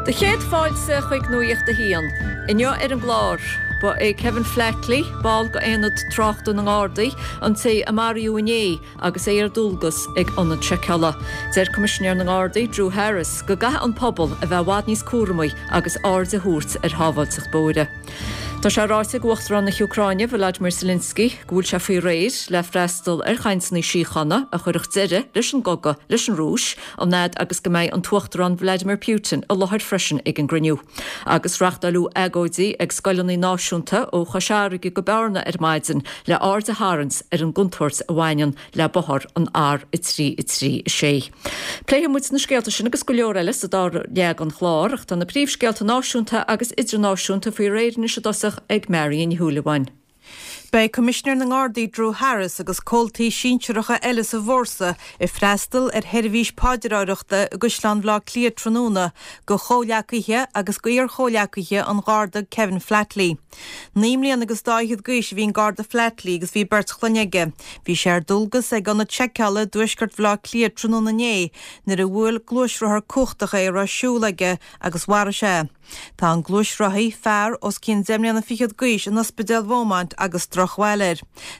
Do chéad fáilte chuig Nuacht a hAon. Inniu ar an gclár, ba é Kevin Flatley, ball d'Aonad Tráchta na nGardaí, an té a maraíodh inné agus é ar dualgas ag ionad seiceála. Deir Coimisinéir na nGardaí, Drew Harris, go gcaithfidh an pobal a bheith i bhfad níos cúramaí agus aird a thabhairt ar shábháilteacht bóithre. Tá sé ráite ag Uachtarán na hÚcráine, Volodymyr Zelensky, go bhfuil sé faoi réir le freastal ar chainteanna síochána a chuirfeadh deireadh leis an gcogadh leis an Rúis, an fhad agus go mbeidh an tUachtarán Vladimir Putin i láthair freisin ag an gcruinniú. Agus reachtáileadh agóidí ag scoileanna náisiúnta ó Chois Fharraige go Bearna ar maidin le aird a tharraingt ar an gcontúirt a bhaineann le bóthar an R3 3 6. Pléifidh muid na scéalta sin agus go leor eile sa dara leath den chlár, ach tá na príomhscéalta náisiúnta agus idirnáisiúnta faoi réir anois i dtosach ag Marion Ní Shúilleabháin. Beidh Coimisinéir na nGardaí Drew Harris agus comhaltaí sinsearacha eile sa bhfórsa ag freastal ar sheirbhís paidreoireachta i gCaisleán Bhaile Átha Cliath tráthnóna do chomhghleacaithe agus d'iar-chomhghleacaithe an Gharda Kevin Flatley. Naoi mbliana agus dá fhichead d'aois a bhí an Garda Flatley agus bhí beirt chlainne aige. Bhí sé ar dualgas ag ionad seiceála i dtuaisceart Bhaile Átha Cliath tráthnóna inné nuair a bhuail gluaisrothar cumhachtach é a raibh siúl aige agus mharaigh sé é. Tá an gluaisrothaí, fear os cionn deich mbliana fichead d'aois, in Ospidéal Bheaumont agus drochbhail air.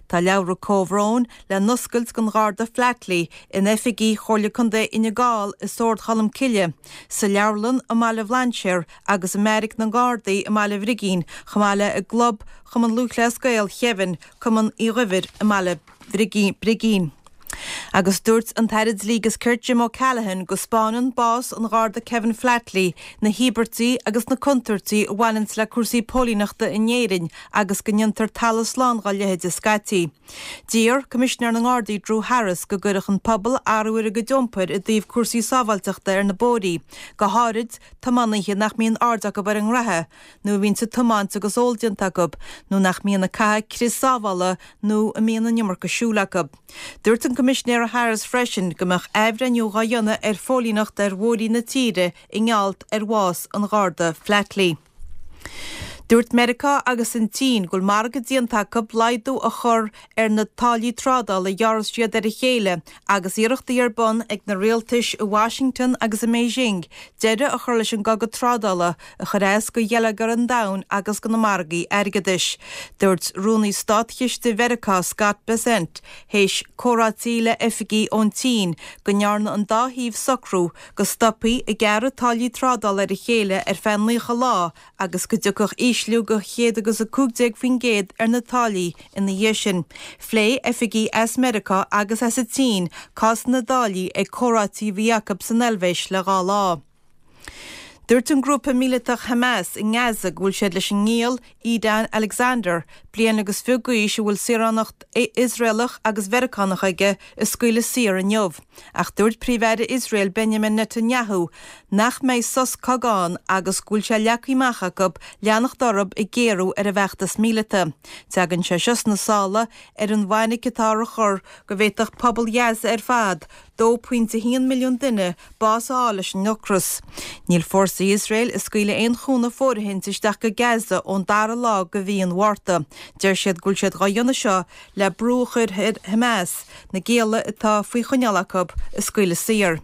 Tá leabhra comhbhróin le n-oscailt don Gharda Flatley in oifigí Chomhairle Contae Fhine Gall i Sord Cholm Cille, sa leabharlann i mBaile Bhlainséir agus i mBeairic na nGardaí i mBaile Bhrigín, chomh maith le i gClub Chumann Lúthchleas Gael Kevin, Cumann Uí Dhuibhir i mBaile Brigín. Agus dúirt an tAire Dlí agus Cirt Jim O'Callaghan go 'spáineann bás an Gharda Kevin Flatley na híobairtí agus na contúirtí a bhaineanns le cúrsaí póilíneachta in Éirinn agus go ndéantar talamh slán dhá leithéide scaití. D'iarr Coimisinéir na nGardaí Drew Harris go gcuirfeadh an pobal athrú ar a gcuid iompair i dtaobh cúrsaí sábháilteachta ar na bóithrí, go háirid tiománaithe nach mbíonn aird acu ar an ngraithe, nó a bhíonns ag tiomáint agus ól déanta acu, nó nach mbíonn ag caitheamh crios sábhála nó a mbíonn an iomarca siúil acu. Dúirt an Coimisinéir Harris freisin go mbeadh athbhreithniú dhá dhéanamh ar phóilíneacht ar bhóithrí na tíre i ngeall ar bhás an Gharda Flatley. Dúirt Meiriceá agus an tSín go bhfuil margadh déanta acu laghdú a chur ar na táillí trádála a ghearrfas siad ar a chéile agus iarrachtaí ar bun ag na rialtais i Washington agus i mBeijing deireadh a chur leis an gcogadh trádála a chuir as do gheilleagar an domhain agus do na margaí airgeadais. Dúirt Rúnaí Státchiste Mheiriceá Scott Bessent théis comhráití le oifigigh ón tSín go ndearna an dá thaobh socrú go stopfaí ag gearradh táillí trádála ar a chéile ar feadh 90 lá agus go dtiocfadh ísliú de 115% ar na táillí ina dhiaidh sin. Phléigh oifigigh as Meiriceá agus as an tSín cás na dtáillí ag comhráití a bhí acu san Eilvéis le dhá lá. Dúirt an grúpa míleatach Hamas i nGaza go bhfuil siad leis an ngiall Edan Alexander, bliain agus fiche d'aois a bhfuil saoránacht Iosraelach agus Mheiriceánach aige, a scaoileadh saor inniu. Ach dúirt Príomh-Aire Iosrael Benjamin Netanyahu nach mbeidh sos cogaidh ann agus go bhfuil sé leagtha amach acu leanacht orthu ag géarú ar an bhfeachtas míleata. Tagann sé seo sna sála ar an bhfainic atá á chur go bhféadfadh pobal Ghaza ar fad, 2.1 milliún duine, bás a fháil leis an ocras. Níl fórsaí Iosrael ag scaoileadh aon chúnamh fóirithint isteach go Gaza ón dara lá de mhí an Mhárta. Deir siad go bhfuil siad dhá dhéanamh seo le brú a chur ar Hamas na gialla atá faoi choinneáil acu a scaoileadh saor.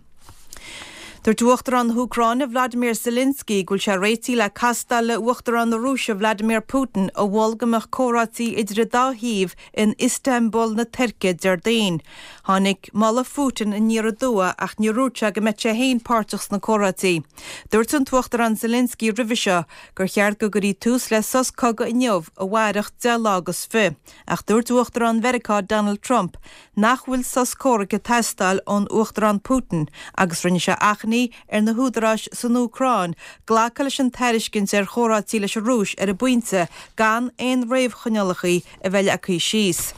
Dúirt Uachtarán na hÚcráine Vladimir Zelensky go bhfuil sé réitithe le castáil le Uachtarán na Rúise Vladimir Putin a mhol go mbeadh comhráití idir an dá thaobh in Istanbul na Tuirce Déardaoin. Tháinig moladh Phutin aniar aduaidh ach níor dhúirt sé go mbeadh sé féin páirteach sna comhráití. Dúirt an tUachtarán Zelensky roimhe seo gur cheart go gcuirfí tús le sos cogaidh inniu a mhairfeadh 10 lá agus fi. Ach dúirt Uachtarán Mheiriceá Donald Trump nach bhfuil sos comhraic ag teastáil ón Uachtarán Putin agus rinne sé achainí ar na húdaráis san Úcráin glacadh leis an tairiscint ar chomhráití leis an Rúis ar an bpointe gan aon réamhchoinníollacha a bheith leagtha síos.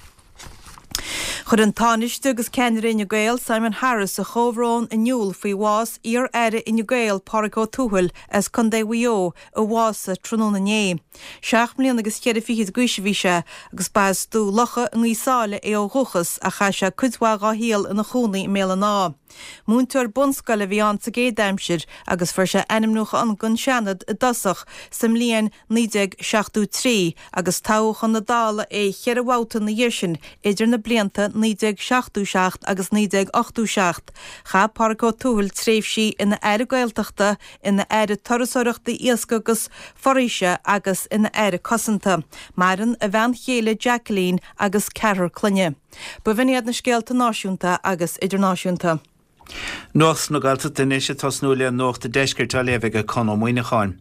Chuir an Tánaiste agus ceannaire Fhine Gael, Simon Harris, a chomhbhrón in iúl faoi bhás iar-aire Fhine Gael, Pádraig Ó Tuathail, as Contae Mhaigh Eo, a bhásaigh tráthnóna inné. Seacht mbliana agus cheithre fichid d'aois a bhí sé agus ba as Dumha Locha i nGaoth Sáile é ó dhúchas ach chaith sé cuid mhaith dhá shaol ina chónaí i mBéal an Átha. Múinteoir bunscoile a bhí ann sa gcéad aimsir agus fuair sé ainmniúchán don Seanad i dtosach sa mbliain 1973 agus toghadh chun na Dála é cheithre bhabhta ina dhiaidh sin idir na blianta. 1977 agus 1987. Chaith Pádraig Ó Tuathail tréimhsí ina Aire Gaeltachta, ina Aire Turasóireachta, Iascaigh agus Foraoise agus ina Aire Cosanta. Maireann a bhean chéile Jacqueline agus ceathrar clainne. B'in iad na scéalta náisiúnta agus idirnáisiúnta. Nuacht na Gaeltachta anois ag tosnú le Nuacht an Deiscirt á léamh ag Conn Ó Muíneacháin.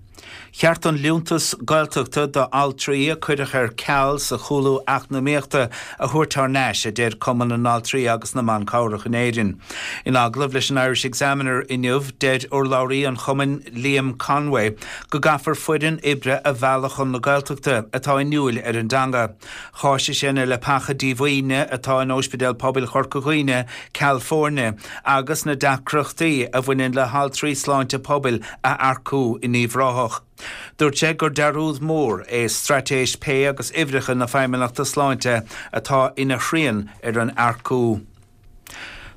Cheart an liúntas Gaeltachta do altraí a cuireadh ar ceal sa chúlú eacnamaíochta a thabhairt thar n-ais, a deir Cumann na nAltraí agus na mBan Cabhrach in Éirinn. In agallamh leis an Irish Examiner inniu, deir urlabhraí an chumainn Liam Conway go gcaithfear foireann oibre a mhealladh chun na Gaeltachta atá inniúil ar an dteanga. Cháisigh sé na leapacha díomhaoine atá in Óispidéal Pobail Chorca Dhuibhne ceal foirne agus na deacrachtaí a bhaineann le haltraí sláinte pobail a earcú in Uíbh Ráthach. Dúirt sé gur dearúd mór é straitéis pé agus uimhreacha na Feidhmeannachta Sláinte atá ina shrian ar an earcú.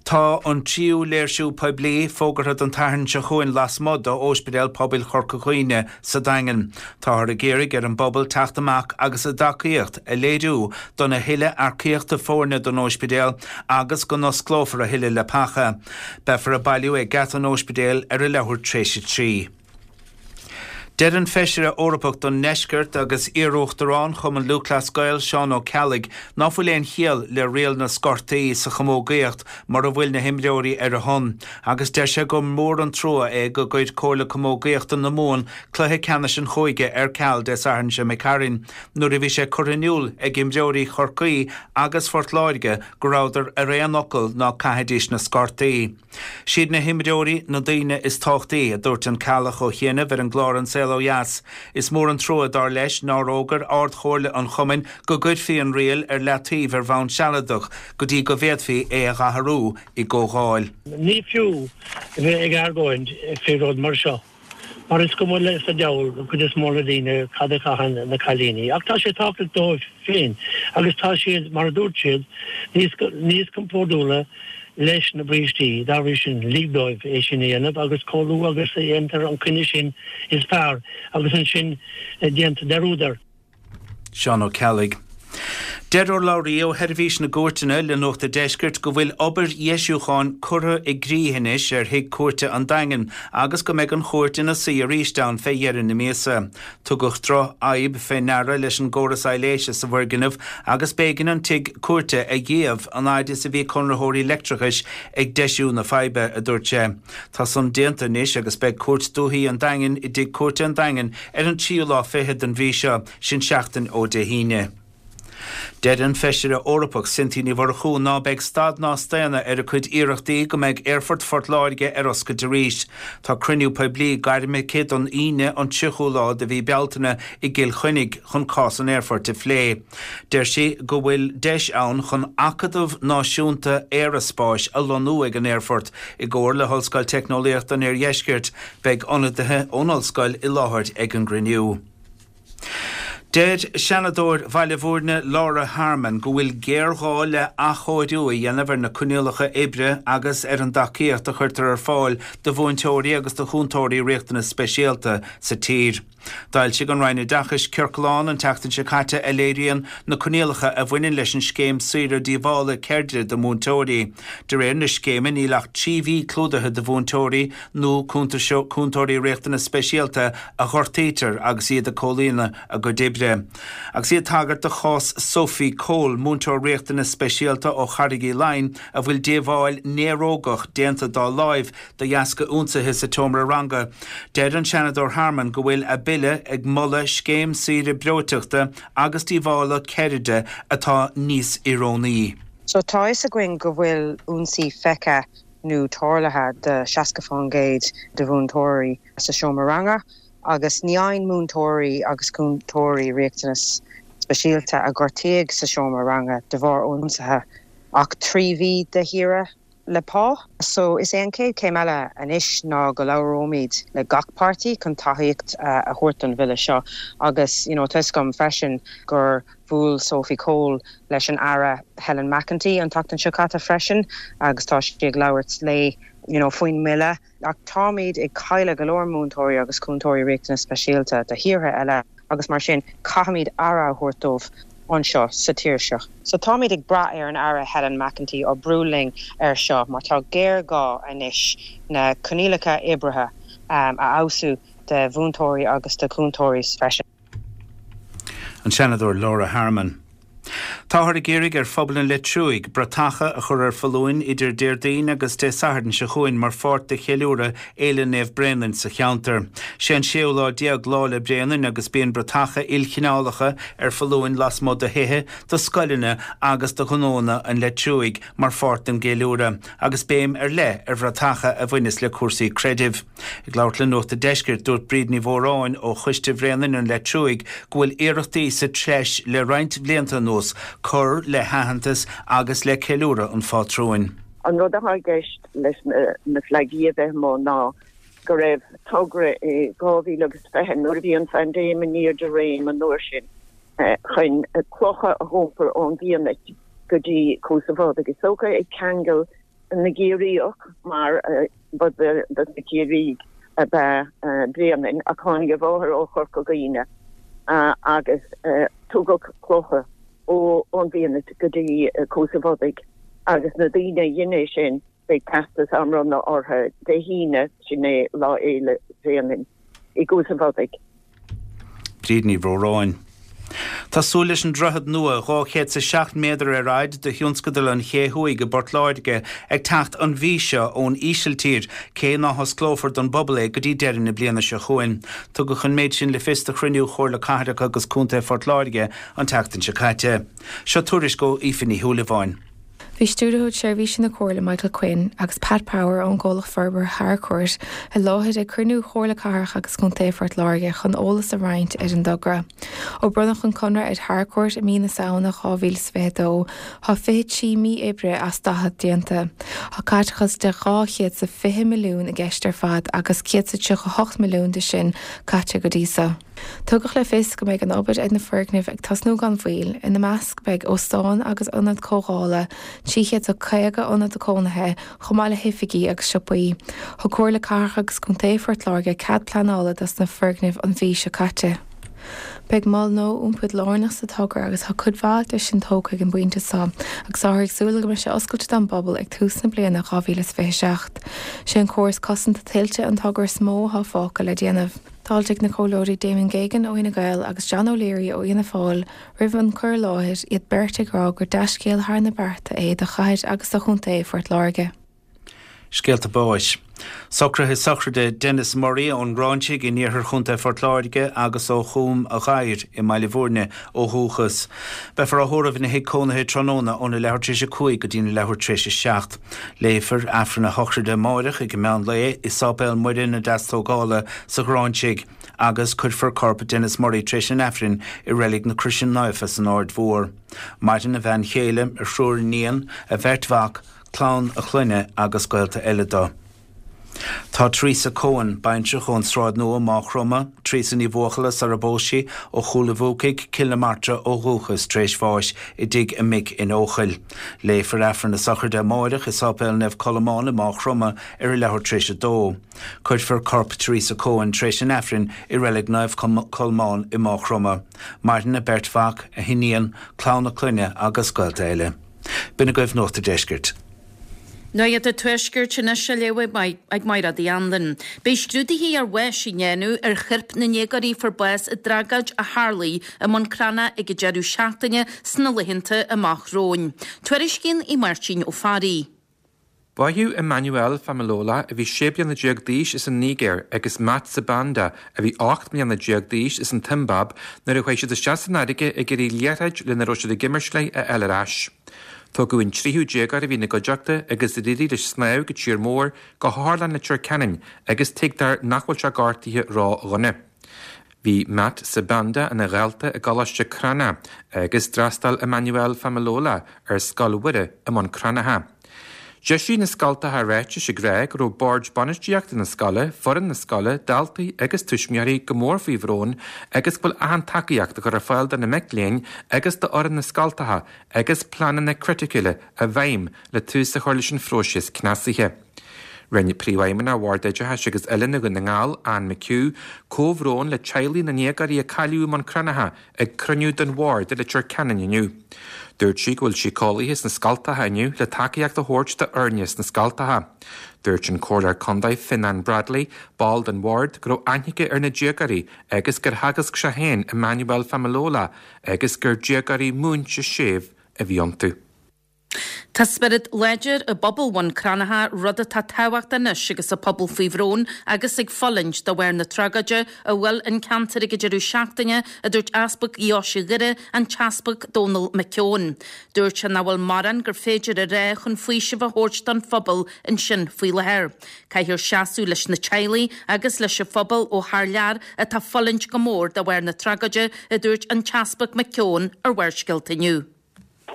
Tá an tríú léirsiú poiblí fógartha don tSatharn seo chugainn lasmuigh d'Óispidéal Pobail Chorca Dhuibhne sa Daingean. Táthar ag iarraidh ar an bpobal teacht amach agus a dtacaíocht a léiriú don a thuilleadh earcaíochta foirne don óispidéal agus go n-osclófar a thuilleadh leapacha. Beifear ag bailiú ag geata an óispidéil ar a leathuair tar éis a 3. Deir an Feisire Eorpach don nDeisceart agus iarUachtarán Chumann Lúthchleas Gael, Seán Ó Ceallaigh, ná fuil aon chiall le riail na scortaí sa chamógaíocht mura bhfuil na himreoirí ar a shon agus deir sé gur mór an trua é go gcuir Comhairle Camógaíochta na Mumhan cluiche ceannais an chúige ar ceal Dé Sathairn seo imigh tharainn nuair a bhí sé curtha in iúl ag imreoirí Chorcaí agus Phort Láirge go rabhadar ar aon fhocal ná caithfidís na scortaí. Siad na himreoirí na daoine is tábhachtaí, a dúirt an Ceallach ó chianaibh ar an gclár An Saol Ó Dheas. Is mór an trua, dar leis, nár fhógair Ard-Chomhairle an chumainn go gcuirfí an riail ar leataobh ar bhonn sealadach go dtí go bhféadfaí é a dh'athrú i gcomhdháil. Ní fiú a bheith ag argóint fé rud mar seo. Mar is cuma leis an diabhal an cuid is mó na daoine cad a chaitheann na cailíní. Ach tá sé tábhachtach dóibh féin agus tá siad, mar a dúirt siad, níos níos compordúla leis na brístí. Dá bhrí sin, lig dóibh é sin a dhéanamh agus chomh luath agus a dhéantar an coinne sin is fearr agus ansin déantar dearúd air. Seán Ó Ceallaigh. Deir urlabhraí ó Sheirbhís na gCúirteanna le Nuacht a' Deiscirt go bhfuil obair dheisiúcháin curtha i gcrích anois ar Thigh Cúirte an Daingin agus go mbeidh an chúirt ina suí arís ann fé dheireadh na míosa. Tugadh drochfhadhb fé ndeara leis an gcóras aibhléise sa bhfoirgneamh agus b'éigean an tigh cúirte a dhíbh an fhaid is a bhí conraitheoirí leictreachais ag deisiú na faidhbe, a dúirt sé. Tá san déanta anois agus beidh Cúirt Dúichí an Daingin i dTigh Cúirte an Daingin ar an tríú lá fichead den mhí seo, sin seachtain ó Dé hAoine. Deir an Feisire Eorpach Cynthia Ní Mhurchú ná beidh stad ná staonadh ar a cuid iarrachtaí go mbeidh Aerfort Phort Láirge ar oscailt arís. Tá cruinniú poiblí gairmithe aici don Aoine an 30ú lá de mhí Bealtaine i gCill Chainnigh chun cás an aerfoirt a phlé. Deir sí go bhfuil deis ann chun Acadamh Náisiúnta Aeraspáis a lonnú ag an aerfort i gcomhar le hOllscoil Teicneolaíochta an Oirdheiscirt. Beidh ionadaithe ón ollscoil i láthair ag an gcruinniú. Deir Seanadóir Bhaile Bhúirne Laura Harmon go bhfuil géarghá le athchóiriú a dhéanamh ar na coinníollacha oibre agus ar an dtacaíocht a chuirtear ar fáil do mhúinteoirí agus do chúntóirí riachtanas speisialta sa tír. D'fhoilsigh an Roinn Oideachais ciorclán an tseachtain seo caite a léiríonn na coinníollacha a bhaineann leis an scéim saoire díobhála ceirde do mhúinteoirí. De réir na scéime níl ach 3 mhí clúdaithe do mhúinteoirí nó cúntóirí riachtanas speisialta a ghortaítear agus iad ag comhlíonadh a gcuid oibre. Agus í ag tagairt do chás Sophie Cole, múinteoir riachtanas speisialta ó Charraig Uí Leighin a bhfuil díobháil néarógach déanta dá láimh de dheasca ionsaithe sa tseomra ranga, deir an Seanadóir Harmon go bhfuil a bille ag moladh scéim saoire breoiteachta agus díobhála ceirde atá níos oiriúnaí. So tá fhios againn go bhfuil ionsaí feicthe nó tarlaithe do 60% de mhúinteoirí sa seomra ranga agus ní fhaigheann múinteoirí agus cúntóirí riachtanas speisialta a gortaíodh sa seomra ranga de bharr ionsaithe ach 3 mhí de shaoire le pá. So is é an chéad chéim eile anois ná go labhróimid le gach páirtí chun tacaíocht a thabhairt don bhille seo agus you know tá fhios agam freisin gur bhuail Sophie Cole leis an Aire Helen McEntee an tseachtain seo caite freisin agus tá sí ag labhairt léi you know faoin mbille. Ach táimid ag cailleadh go leor múinteoirí agus cúntóirí riachtanas speisialta do thíortha eile agus mar sin caithfimid aire a thabhairt dóibh. anseo sa tír seo. So táimid ag brath ar an Aire Helen McEntee oibriú linn ar seo mar tá géarghá anois na coinníollacha oibrithe a fheabhsú do mhúinteoirí agus do chúntóirí freisin. An Seanadóir Laura Harmon. Táthar ag iarraidh ar phobal an Leitriúigh bratacha a chur ar foluain idir Déardaoin agus Dé Sathairn seo chugainn mar pháirt de cheiliúradh Fhéile Naomh Bréanainn sa cheantar. Sé an séú lá déag Lá 'le Bréanainn agus bíonn bratacha ilchineálacha ar foluain lasmuigh de thithe, de scoileanna agus de ghnóanna an Leitriúigh mar pháirt den gceiliúradh agus béim ar leith ar bhratacha a bhaineas le cúrsaí creidimh. Ag labhairt le Nuacht a' Deiscirt, dúirt Bríd Ní Mhóráin ó Choiste Bhréanainn an Leitriúigh go bhfuil iarrachtaí sa treis le roinnt bhlianta anuas cur le haitheantas agus le ceiliúradh an phátrúin. An rud atá i gceist leis na fleagaí a bheith amuigh ná go raibh togra i 2020, nuair a bhí an phaindéim in airde réim an uair sin, chun clocha a dh'iompar ón bhFianait go dtí Cuas a' Bhodaigh. Is dócha ag ceangal na gCiarraíoch mar ba de na Ciarraígh ab ea Bréanainn ach tháinig a mháthair ó Chorca Dhuibhne agus tugadh clocha ón bhFianait go dtí Cuas a' Bhodaigh agus na daoine a dhein é sin beidh teastas á mbronnadh orthu Dé hAoine, sin é Lá Fhéile Bhréanainn, i gCuas a' Bhodaigh. Bríd Ní Mhóráin. Tá súil leis an droichead nua 207 méadar ar fhaid do thionscadal an Ché Thuaidh i bPort Láirge ag teacht an mhí seo ón Ísiltír, cé ná hosclófar don bpobal é go dtí deireadh na bliana seo chugainn. Tugadh an méid sin le fios do chruinniú Chomhairle Cathrach agus Contae Phort Láirge an tseachtain seo caite. Seo tuairisc ó Aoife Ní Shúilleabháin. Bhí Stiúrthóir Seirbhíse na Comhairle Michael Quinn agus Pat Power ón gcomhlacht forbartha Harcourt i láthair ag cruinniú Chomhairle Cathrach agus Contae Phort Láirge chun eolas a roinnt ar an dtogra. Ó bronnadh an conradh ar Harcourt i mí na Samhna 2022, tá 23 mí oibre as 40 déanta. Tá caiteachas de 220 milliún i gceist ar fad agus 138 milliún de sin caite go dtí so. Tugadh le fios go mbeidh an obair ar na foirgnimh ag tosnú gan mhoill, ina measc beidh óstán agus ionad comhdhála, 350 ionad cónaithe, chomh maith le hoifigí agus siopaí. Thug Comhairle Cathrach agus Contae Phort Láirge cead pleanála dos na foirgnimh an mhí seo caite. Beidh mol nua iompair lárnach sa togra agus tá cuid mhaith de sin tógtha ag an bpointe seo agus táthar ag súil go mbeidh sé oscailte don bpobal ag tús na bliana 2027. Sé an córas cosanta tuilte an togra is mó atá fágtha le déanamh. D'fháiltigh na Comhairleoirí Damon Geoghegan ó Fhine Gael agus John O'Leary ó Fhianna Fáil roimh an cur i láthair, iad beirt ag rá gur dea-scéal thar na bearta é do chathair agus do chontae Phort Láirge. Scéalta báis. Socruithe sochraide Denis Murray ón nGráinsigh in iarthar Chontae Phort Láirge agus ó Chúm a' Ghadhair i mBaile Bhúirne ó dhúchas. Beifear á thórramh ina thigh cónaithe tráthnóna óna leathuair tar éis a 5 go dtína leathuair tar éis a 7. Léifear Aifreann a shochraide amáireach ag an meán lae i Sáipéal Muire na Deastógála sa Ghráinsigh agus cuirfear corp Denis Murray tar éis an Aifrinn i Reilig na Croise Naofa san Aird Mhór. Maireann a bhean chéile, a thriúr iníon, a bheirt mhac, clann a chlainne agus gaolta eile dó. Tá Teresa Coen, baintreach ón Sráid Nua, Máigh Chromtha, Teresa Ní Bhuachalla sara bpós sí, ó Chúil a' Bhuacaigh, Cill na Martra ó dhúchas, tar éis bháis i dtigh a mic in Eochaill. Léifear Aifreann a sochraide amáireach i Sáipéal Naomh Colmán i Máigh Chromtha ar a leathuair tar éis a dó. Cuirfear corp Teresa Coen tar éis an Aifrinn i Reilig Naomh Colmán i Máigh Chromtha. Maireann a beirt mhac, a hiníon, clann a clainne agus gaolta eile. B'in agaibh Nuacht a' Deiscirt. Nuacht an Tuaiscirt anois á léamh ag Mairéad Uí Anluain. Beidh scrúduithe ar bháis á ndéanamh ar choirp na ndéagóirí a fuair bás i dtragóid a tharlaigh i mBun Cranncha ag an deireadh seachtaine sna laethanta amach romhainn. Tuairiscíonn Aodh Máirtín Ó Fearraigh. Báitheadh Emmanuel Femilola, a bhí 16 bliana d'aois as an Nigéir, agus Matt Sibanda, a bhí 18 mbliana d'aois as an tSiombáib, nuair a chuaigh siad isteach san fharraige ag iarraidh liathróid lena raibh siad ag imirt léi a fháil ar ais. Tógadh an tríú déagóir a bhí ina gcuideachta agus ar éirigh leis snámh go tír mór, go hOtharlann Leitir Ceanainn agus tuigtear nach bhfuil sé gortaithe ró-dhona. Bhí Matt Sibanda ina dhalta i gColáiste Crana agus d'fhreastail Emmanuel Femilola ar Scoil Mhuire i mBun Cranncha. D'eisigh na scoltacha ráitis ag rá go raibh bord bainistíochta na scoile, foireann na scoile, daltaí agus tuismitheoirí go mór faoi bhrón agus go bhfuil achan tacaíocht á chur ar fáil do na mic léinn agus d'fhoireann na scoltacha agus pleananna criticiúla i bhfeidhm le tús a chur leis an phróiseas cneasaithe. Rinne Príomhfheidhmeannach Bhord Oideachais agus Oiliúna Dhún na nGall, Anne McHugh, comhbhrón le teaghlaigh na ndéagóirí a cailleadh i mBun Cranncha ag cruinniú den Bhord i Leitir Ceanainn inniu. Dúirt sí go bhfuil síceolaithe sna scoltacha inniu le tacaíocht a thabhairt d'fhoirne sna scoltacha. Dúirt an Comhairleoir Contae Fionnán Bradley, ball den Bhord, go raibh aithne aige ar na déagóirí agus gur theagasc sé féin Emmanuel Femilola agus gur déagóirí múinte séimh a bhí iontu. Tá spiorad láidir i bpobal Bhun Cranncha, rud atá tábhachtach anois agus an pobal faoi bhrón agus ag fulaingt de bharr na tragóide a bhuail an ceantar ag an deireadh seachtaine, a dúirt Easpag Dheoise Dhoire, an tEaspag Dónal McKeown. Dúirt sé nach bhfuil mórán gur féidir a rá chun faoiseamh a thabhairt don phobal ansin faoi láthair. Caithfear seasamh leis na teaghlaigh agus leis an phobal ó thar lear atá ag fulaingt go mór de bharr na tragóide, a dúirt an tEaspag McKeown ar Bharrscéalta inniu.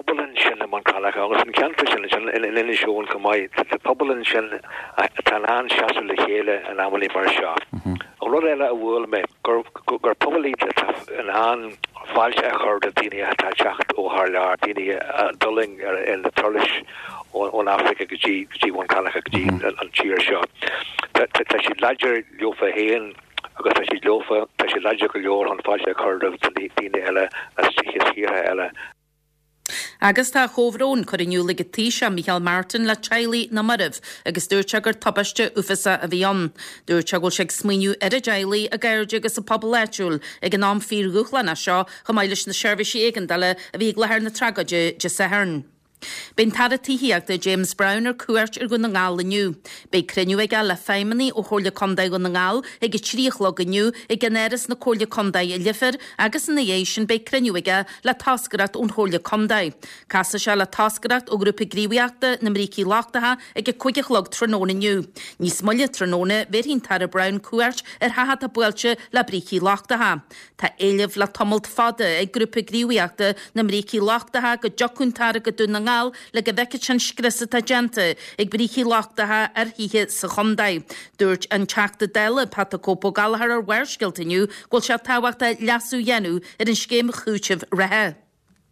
pobal ansin i mBun Cranncha agus an ceantar sin ansin in Inis Eoghain chomh maith. Tá pobal ansin atá in ann seasamh le chéile in amannaí mar seo. An rud eile a bhuail mé, gur gur pobal iad atá in ann fáilte a chur do daoine atá ag teacht ó thar lear, daoine a d'fhulaing ar na turais ón Afraic go dtí go dtí Bun Cranncha, go dtí an tír seo. Tá siad láidir leofa féin agus tá siad leofa, tá siad láidir go leor chun fáilte a chur roimh daoine eile as tíortha eile. Agus tá a chomhbhrón curtha in iúl ag an Taoiseach Micheál Martin le teaghlaigh na marbh agus dúirt sé gur tubaiste uafásach a bhí ann. Dúirt sé go bhfuil sé ag smaoineamh ar a dteaghlaigh, a gcairde agus an pobal áitiúil ag an am fíordhúshlánach seo chomh maith leis na seirbhísí éigeandála a bhí ag láthair na tragóide Dé Sathairn. Beidh an tAire Tithíochta James Browne ar cuairt ar Dhún na nGall inniu. Beidh cruinniú aige le feidhmeannaigh ó Chomhairle Contae Dhún na nGall ag a 3 a chlog inniu i gceannáras na Comhairle Contae i Leifear agus ina dhiaidh sin beidh cruinniú aige le toscaireacht ón Chomhairle Contae. Casfaidh sé le toscaireacht ó Ghrúpa Gníomhaíochta na mBrící Lochtacha ag a 5 a chlog tráthnóna inniu. Níos moille tráthnóna bhéarfaidh an tAire Browne cuairt ar theach atá buailte le brící lochtacha. Tá éileamh le tamalt fada ag Grúpa Gníomhaíochta na mBrící Lochtacha go dtiocfadh an tAire go Dún na nGall le go bhfeicfeadh sé an scrios atá déanta ag brící lochtacha ar thithe sa chontae. Dúirt an Teachta Dála Pat 'The Cope Ó Gallchóir ar Bharrscéalta inniu go bhfuil sé tábhachtach leasú a dhéanamh ar an scéim chúitimh reatha.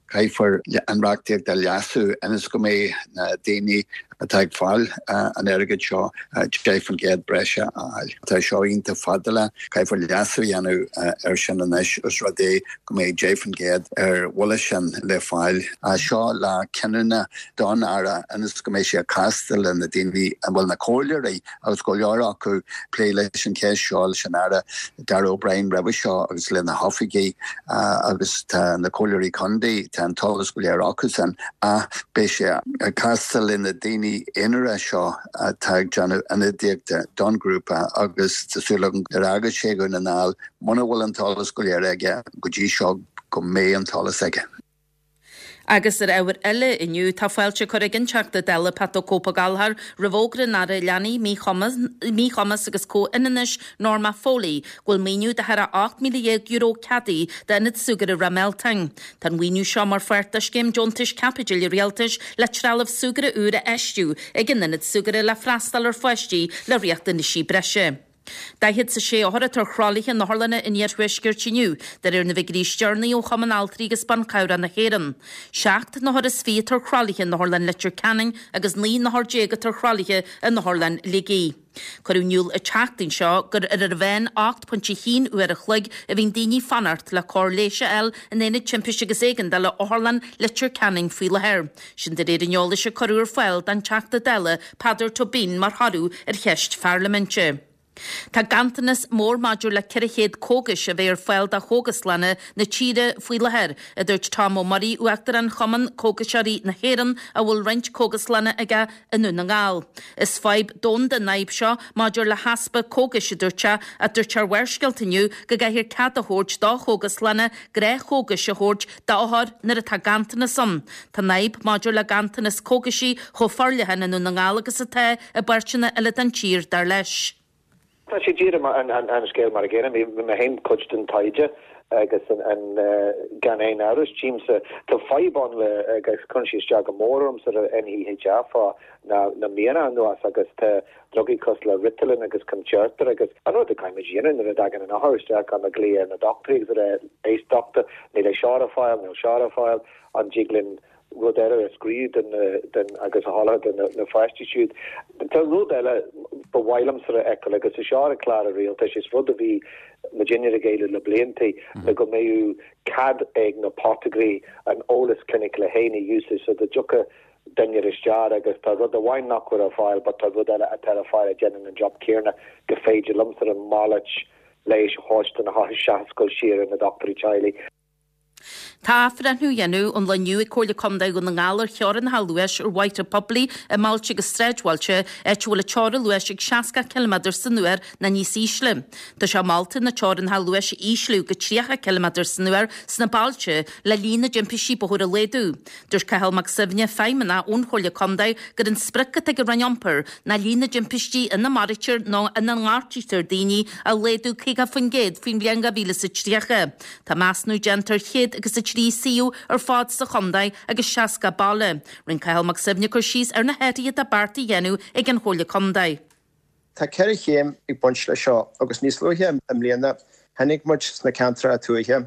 Caithfear an reachtaíocht a leasú ionas go mbeidh na daoine atá ag fáil an airgid seo 10% breise a fháil. Tá seo iontach fadálach, caithfear leasú a dhéanamh air sin anois os rud é go mbeidh 10% ar bhuille sin le fáil. Seo lá cinniúna don Aire ionas go mbeidh sé ag castáil le na daoine, bhuel na comhairleoirí agus go leor acu plé leis an cheist seo leis an Aire Darragh O'Brien roimhe seo agus lena hoifigigh agus tá na comhairleoirí contae, tá an t-eolas go léir acusan ach beidh sé ag castáil le na daoine aonara seo atá ag déanamh ionadaíochta don ghrúpa agus tá súil agam nuair a thagas sé Dhún na nGall muna bhfuil an t-eolas go léir aige go dtí seo go mbeidh an t-eolas aige. Agus ar ábhair eile inniu, tá fáilte curtha ag an Teachta Dála Pat 'The Cope Ó Gallchóir roimh fhógra an Aire Leanaí, Míchumas agus Comhionannais Norma Foley go bhfuil maoiniú de thar €18,000 ceadaithe d'Ionad Súgartha Ráth Mealtain. Tá an mhaoiniú seo mar pháirt de scéim deontais caipitil an Rialtais le trealamh súgartha úr a fheistiú ag an ionad súgartha le freastal ar pháistí le riachtanaisí breise. 46 othar atá ar thralaithe in otharlanna an iarthuaiscirt inniu, de réir na bhfigiúirí is deireanaí ó Chumann Altraí agus Ban Cabhrach na hÉireann. 7 n-othar is 20 atá ar thralaithe in Otharlann Leitir Ceanainn agus 19 n-othar atá ar thralaithe in Otharlann Shligigh. Cuireadh in iúl an tseachtain seo gur ar ar mheán 8.1 uair a chloig a bhíonn daoine ag fanacht le cóir leighis a fháil in Aonad Timpiste agus Éigeandála Otharlann Leitir Ceanainn faoi láthair. Sin de réir an eolais a cuireadh ar fáil don Teachta Dála Peadar Tóibín mar thoradh ar cheist pharlaiminte. Tá ganntanas mór maidir le 400 cógais a bheith ar fáil do chógaslanna na tíre faoi láthair, a dúirt Tom Ó Muirí, Uachtarán Chumann Cógaiseoirí na hÉireann a bhfuil roinnt cógaslanna aige i nDún na nGall. Is fadhb domhanda an fhadhb seo maidir le heaspa cógais, a dúirt sé, ach dúirt sé ar Bharrscéalta inniu go gcaithfear cead a thabhairt do chógaslanna gnáthchógais a thabhairt d'othair nuair atá ganntanas ann. Tá an fhadhb maidir le ganntanas cógaisí chomh forleathan i nDún na nGall agus atá i bpáirteanna eile den tír, dar leis. Tá sé díreach an scéal mar a gcéanna. Bhí mé féin cuid den taighde agus an gan aon amhras tchímse tá fadhb ann le agus cuireann sé isteach go mór ormsa le NHI fá na míonna anuas agus tá drugaí cosúil le Ritalin agus Concerta agus an rud a caithfimid a dhéanamh nuair a dtagann an othar isteach caithfimid glaoch ar na dochtúirí agus a rá éist dochtúir níl é seo ar fáil níl seo ar fáil an dtig linn rud eile a scríobh den den agus a sholáthar do na pháistí siúd. Tá rud eile. ba mhaith liomsa a fheiceáil, agus é seo ar an chlár rialtais, is rud a bhí muidinne ag éileamh le blianta, le go mbeadh cead ag na potagairí an eolas cliniciúil féin a úsáid so dá dtiocfadh duine isteach agus tá rud amháin nach bhfuil ar fáil but tá rud eile atá ar fáil a dhéanann an job céanna go féidir liomsa an malairt leighis a thabhairt do na hothair seachas dul siar ar na dochtúirí teaghlaigh. Tá athbhreithniú á dhéanamh an lá inniu ag Comhairle Contae Dhún na nGall ar theorainneacha luais ar bhóithre poiblí i mbailte agus sráidbhailte, áit a bhfuil an teorainn luais ag 60 ciliméadar san uair nó níos ísle. Tá sé molta na teorainneacha luais a ísliú go 30 ciliméadar san uair sna bailte le líon na dtimpistí bóthair a laghdú. Dúirt Cathal Mac Suibhne, Feidhmeannach ón Chomhairle Contae, gur an sprioc atá ag an Roinn Iompair ná líon na dtimpistí ina maraítear nó ina ngortaítear daoine a laghdú 50% faoin bhliain 2030. Tá measúnú déanta ar 103 suíomh ar fad sa chontae agus 60 baile. Rinne Cathal Mac Suibhne cur síos ar na hathruithe atá beartaithe a dhéanamh ag an Chomhairle Contae. Tá 4 chéim ag baint leis seo agus níos luaithe i mbliana chonaic muid sna ceantracha tuaithe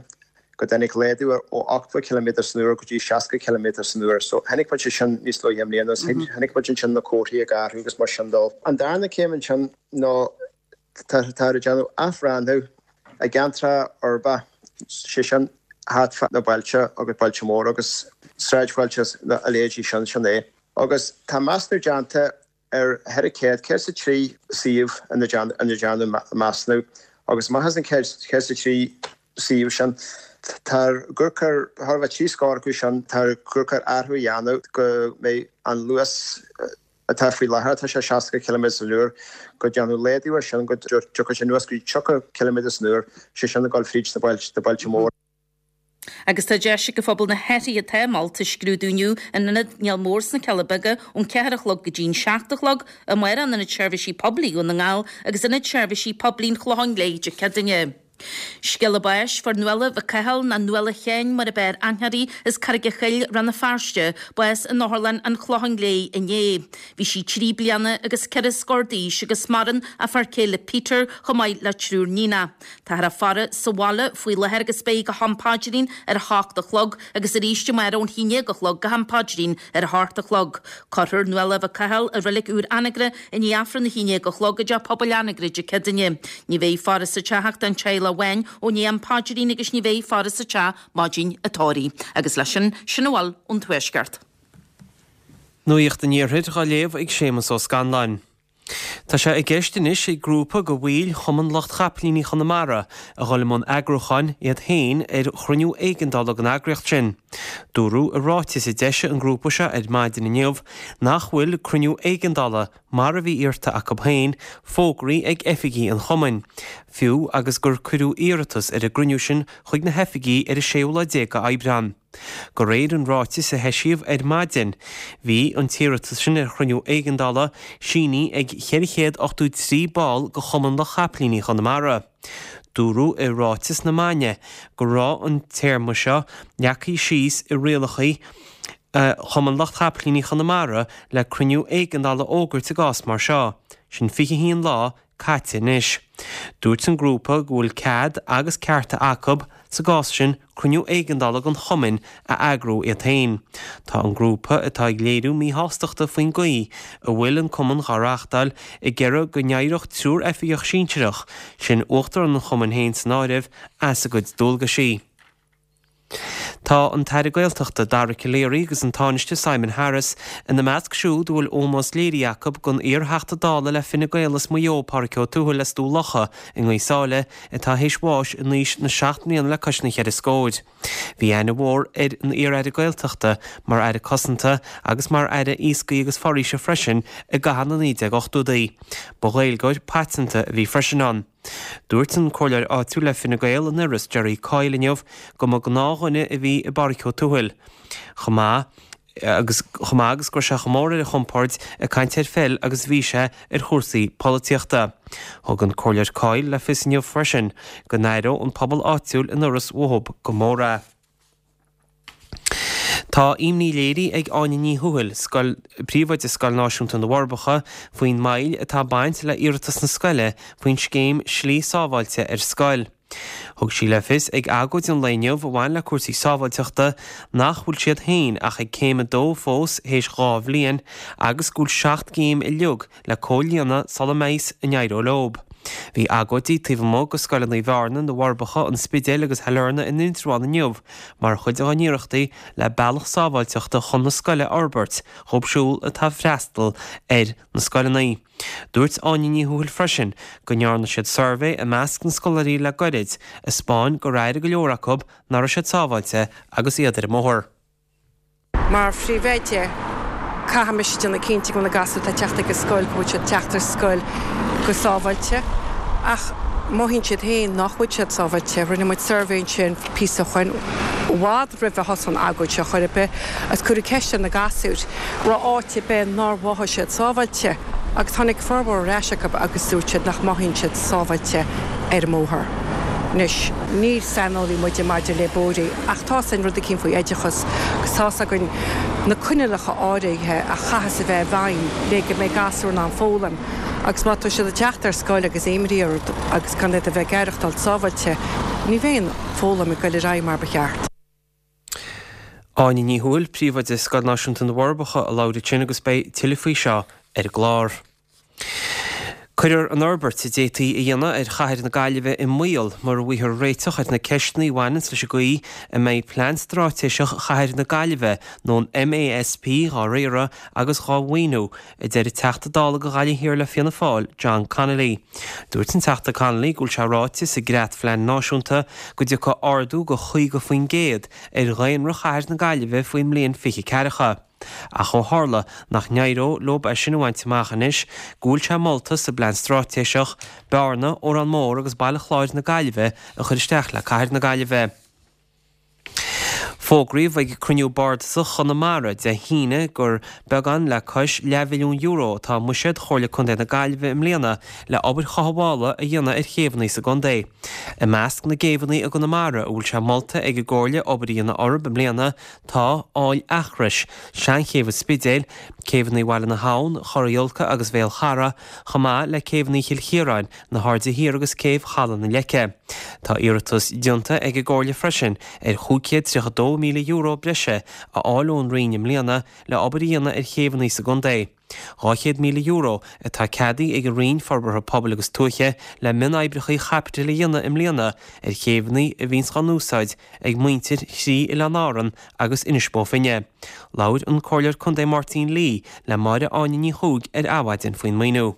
go dtáinig laghdú ó 80 ciliméadar san uair go dtí 60 ciliméadar san uair. So chonaic muid é sin níos luaithe i mbliana agus chonaic muid ansin na comharthaí ag athrú agus mar sin dó. An darna céim ansin ná táthar ag déanamh athbhreithniú i gceantracha uirbeacha, sé sin thart fá na bailte agus bailte móra agus sráidbhailte a leithéidí sin, sin é. Agus tá measúnú déanta ar 400, 103 suíomh ina ndearnadh measúnú agus amach as an 103 suíomh sin, táthar ag amharc ar, thar a bheith trí scór acu sin, táthar ag amharc ar athrú a dhéanamh go mbeidh an luas atá faoi láthair, atá sé 60 ciliméadar san uair, go ndéanfadh laghdú air sin go dtiocfadh sé anuas go dtí 30 ciliméadar san uair, sé sin ag dul fríd na bailte móra. Agus tá deis ag an phobal na hathruithe atá molta a scrúdú inniu in Ionad Néal Mór sna Cealla Beaga ón 4 a chlog go dtí an 7 a chlog, amárach in Ionad Seirbhísí Poiblí Dhún na nGall agus Ionad Seirbhísí Poiblí an Chlocháin Léith Dé Céadaoine. Scéala báis, Fuair Nuala Mhic Cumhaill, nó Nuala Sheáin mar ab fhearr aithne uirthi, as Carraig a' Choill, Rann na Feirste, bás in Otharlann an Chlocháin Léith inné. Bhí sí 3 bliana agus ceithre scór d'aois agus maireann a fear céile Peter chomh maith le triúr níonach. Táthar á faire sa bhaile faoi láthair agus beidh go ham paidrín ar a hocht a chlog agus arís amárach ón haon déag a chlog go ham paidrín ar a hocht a chlog. Cuirfear Nuala Mhic Cumhaill i reilig úr Anagaire i ndiaidh Aifreann a haon déag a chlog i dTeach Pobail Anagaire Dé Céadaoine. Ní bheidh faire sa teach ach don teaghlach amháin ó ndiaidh am paidrín agus ní bheidh faire sa teach maidin an tórraimh. Agus leis sin, sin a bhfuil ón Tuaisceart. Nuacht an Iarthair dhá léamh ag Séamus Ó Scanláin. Tá sé i gceist anois ag grúpa de bhaill Chumann Lucht Chapaillíní Chonamara a dhul i mbun eagrúcháin iad féin ar chruinniú éigeandála den eagraíocht sin. Dúradh i ráiteas a d'eisigh an grúpa seo ar maidin inniu nach bhfuil cruinniú éigeandála, mar a bhí iarrta acu féin, fógraithe ag oifigí an chumainn, fiú agus gur cuireadh iarratas ar an gcruinniú sin chuig na hoifigí ar an séú lá déag d'Aibreán. De réir an ráitis a heisíodh ar maidin, bhí an t-iarratas sin ar chruinniú éigeandála sínithe ag 483 ball de Chumann Lucht Chapaillíní Chonamara. Dúradh i ráiteas na maidne go raibh an téarma seo leagtha síos i rialacha Chumann Lucht Chapaillíní Chonamara le cruinniú éigeandála a fhógairt i gcás mar seo, sin 21 lá caite anois. Dúirt an grúpa go bhfuil cead agus cearta acu, sa gcás sin, cruinniú éigeandála den chumainn a eagrú iad féin. Tá an grúpa, atá ag léiriú míshástachta faoin gcaoi a bhfuil an cumann dhá reáchtáil, ag iarraidh go n-éireodh triúr oifigeach sinsearach, sin uachtarán an chumainn féin san áireamh, as a gcuid dualgaisí. Tá an tAire Gaeltachta, Dara Calleary agus an Tánaiste Simon Harris ina measc siúd a bhfuil ómós léirithe acu don iar-Theachta Dála le Fine Gael as Maigh Eo, Pádraig Ó Tuathail as Dún Locha i nGaoth Sáile atá théis bháis in aois na seacht mbliana le cois na cheithre scóir. Bhí aithne mhór ar an iar-Aire Gaeltachta mar Aire Cosanta agus mar Aire Iascaigh agus Foraoise freisin i gcaitheamh na 1980idí. Ba Ghaeilgeoir paiteanta a bhí freisin ann. Dúirt an comhairleoir áitiúil le Fine Gael in Iorras, Jerry Coyle inniu go mba gnáthdhuine a bhí i bPádraic Ó Tuathail chomh maith agus chomh maith agus go raibh sé chomh mór ar a chompord ag caint ar pheil agus a bhí sé ar chúrsaí polaitíochta. Thug an Comhairleoir Coyle le fios inniu freisin go n-aireodh an pobal áitiúil in Iorras uathu go mór é. Tá imní léirithe ag Áine Ní Thuathail, scoil, Príomhoide Scoil Náisiúnta na bhForbacha, faoin moill atá ag baint le iarratas na scoile faoin scéim Slí Sábháilte ar Scoil. Thug sí le fios ag agóid an lae inniu a bhain le cúrsaí sábháilteachta nach bhfuil siad féin ach ag céim a dó fós théis 2 bhliain agus go bhfuil 7 gcéim uilig le comhlíonadh sula mbeidh a n-éireoidh leob. Bhí agóidí taobh amuigh de scoileanna Bhearna, na bhForbacha, an Spidéil agus Shailearna in Indreabhán inniu mar chuid dá n-iarrachtaí le bealach sábháilteachta chun na scoile a fhorbairt dhóibh siúd atá ag freastal ar na scoileanna. Dúirt Áine Ní Thuathail freisin go ndearna siad suirbhé i measc na scoláirí le goirid a 'spáin gur airigh go leor acu nach raibh siad sábháilte agus iad ar an mbóthar. Mar phríomhoide, caithfidh mise déanamh cinnte go bhfuil na gasúir atá ag teacht ag an scoil, go bhfuil siad ag teacht ar scoil go sábháilte. Ach mothaíonn siad féin nach bhfuil siad sábháilte. Rinne muid suirbhé ansin píosa ó shoin, i bhfad roimh a thosaigh an agóid seo chor ar bith, agus cuireadh ceist ar na gasúir, raibh áit ar bith nár mhothaigh siad sábháilte agus tháinig formhór ar ais acu agus dúirt siad nach mothaíonn siad sábháilte ar an mbóthar. Anois, ní saineolaí muide maidir le bóithre ach tá's againn rud eicínt faoi oideachas agus tá's againn na coinníollacha áirithe a chaithfeas a bheith i bhfeidhm le go mbeidh gasúir in ann foghlaim agus má tá siad ag teacht ar scoil agus imní orthu agus gan iad a bheith ag aireachtáil sábháilte, ní bheidh an foghlaim ag goil ar aghaidh mar ba cheart. Áine Ní Thuathail, Príomhoide Scoil Náisiúnta na bhForbacha a labhair ansin agus beidh tuilleadh faoi seo ar an gclár. Cuirfear an fhorbairt a d'fhéadfaí a dhéanamh ar chathair na Gaillimhe i mbaol mura bhfaighfear réiteach ar na ceisteanna a bhaineanns leis an gcaoi a mbeidh Plean Straitéiseach Chathair na Gaillimhe nó an MASP dhá riaradh agus dhá mhaoiniú, a deir an Teachta Dála do Ghaillimh Thiar le Fianna Fáil, John Connolly. Dúirt an Teachta Connolly go bhfuil sé ráite sa gCreat-Phlean Náisiúnta go dtiocfaidh ardú de 50% ar dhaonra chathair na Gaillimhe faoin mbliain 2040. Ach ó tharla nach n-éireodh leob é sin a bhaint amach anois, go bhfuil sé molta sa bPlean Straitéiseach, Bearna, Órán Mór agus Baile Chláir na Gaillimhe a chur isteach le cathair na Gaillimhe. Fógraíodh ag cruinniú bardasach Chonamara Dé hAoine gur beagán le cois leathmhilliún euro atá i mbuiséad Chomhairle Contae na Gaillimhe i mbliana le obair chothabhála a dhéanamh ar chéibheanna sa gcontae. I measc na gcéibheanna i gConamara a bhfuil sé molta ag an gComhairle obair a dhéanamh orthu i mbliana tá, Aill Eachrois, Seanchéibh an Spidéil, céibheanna Bhaile na hAbhann, Chora Iolca agus Bhéal Chara, chomh maith le céibheanna Chill Chiaráin, na hAirde Thiar agus Céibh Chaladh na Leice. Tá iarratas déanta ag an gComhairle freisin ar €532,000 breise a fháil ón Roinn i mbliana le obair a dhéanamh ar chéibheanna sa gcontae. €200,000 atá ceadaithe ag an Roinn Forbartha Pobail agus Tuaithe le mionoibreacha caipitil a dhéanamh i mbliana ar chéibheanna a bhíonns á n-úsáid ag muintir thrí Oileán Árann agus Inis Bó Finne. Labhair an Comhairleoir Contae Máirtín Lee le Máire Áine Ní Chuaig ar Adhmhaidin faoin maoiniú.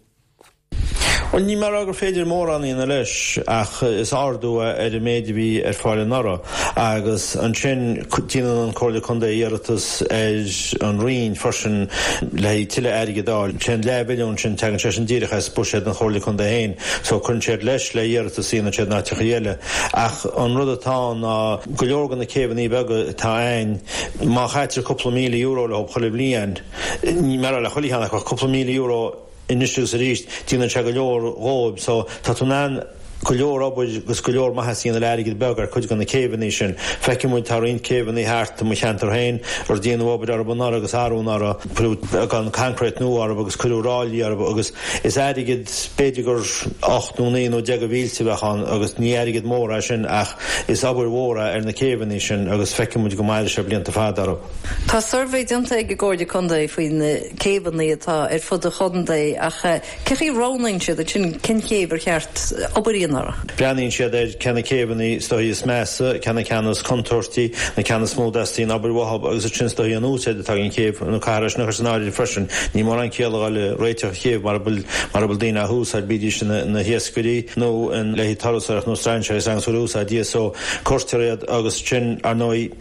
Bhuel, níl mé a rá gur féidir mórán a dhéanamh leis ach is ardú é ar an méid a bhí ar fáil anuraidh agus ansin déanann an Comhairle Contae iarratas ar an Roinn freisin le haghaidh tuilleadh airgid a fháil. Sé an leathmhilliún sin, tagann sé sin díreach as buiséad an Chomhairle Contae féin so cuireann siad leis le iarratas a dhéanann siad in áiteachaí eile. Ach an rud atá ann ná go leor de na céibheanna beaga atá a'ainn, má chaitear cúpla €1,000 leo chuile bhliain, níl mé a rá le chuile cheann acu ach cúpla €1,000, anois agus arís, déanann sé go leor dhóibh so tá tú in ann go leor obair agus go leor maitheas a dhéanamh le airgead beag ar cuid de na céibheanna sin. Feiceann muid tá roinnt céibheanna thart i mo cheantar féin ar déanadh obair orthu anuraidh agus arú anuraidh, cuireadh beagán concrete nua orthu agus cuireadh ráillí orthu agus is airgead b'fhéidir gur 8 nó 9 nó 10 de mhílte a bheadh ann agus ní airgead mór é sin ach is obair mhór é ar na céibheanna sin agus feiceann muid go mairfidh sé blianta fada orthu. Tá suirbhé déanta ag an gComhairle Contae faoi na céibheanna atá ar fud an chontae ach cé chaoi a roghnaíonn siad ansin cén chéibh ar cheart obair a dhéanamh orthu? Breathnaíonn siad ar cé na céibheanna is dóichí is measa, cé na ceanna is contúirtí, na ceanna is mó a dteastaíonn obair uathu agus ansin is dóichí an úsáid atá ag an chéibh nó caithfear é sin a chur san áireamh freisin. Níl mórán ciall a dhul ag réiteach chéibh mara bhfuil mara bhfuil daoine á húsáid, bídís ina hiascairí nó le haghaidh turasóireacht nó strainséirí agus bhfuil úsáid di so cuirtear iad agus ansin ar ndóigh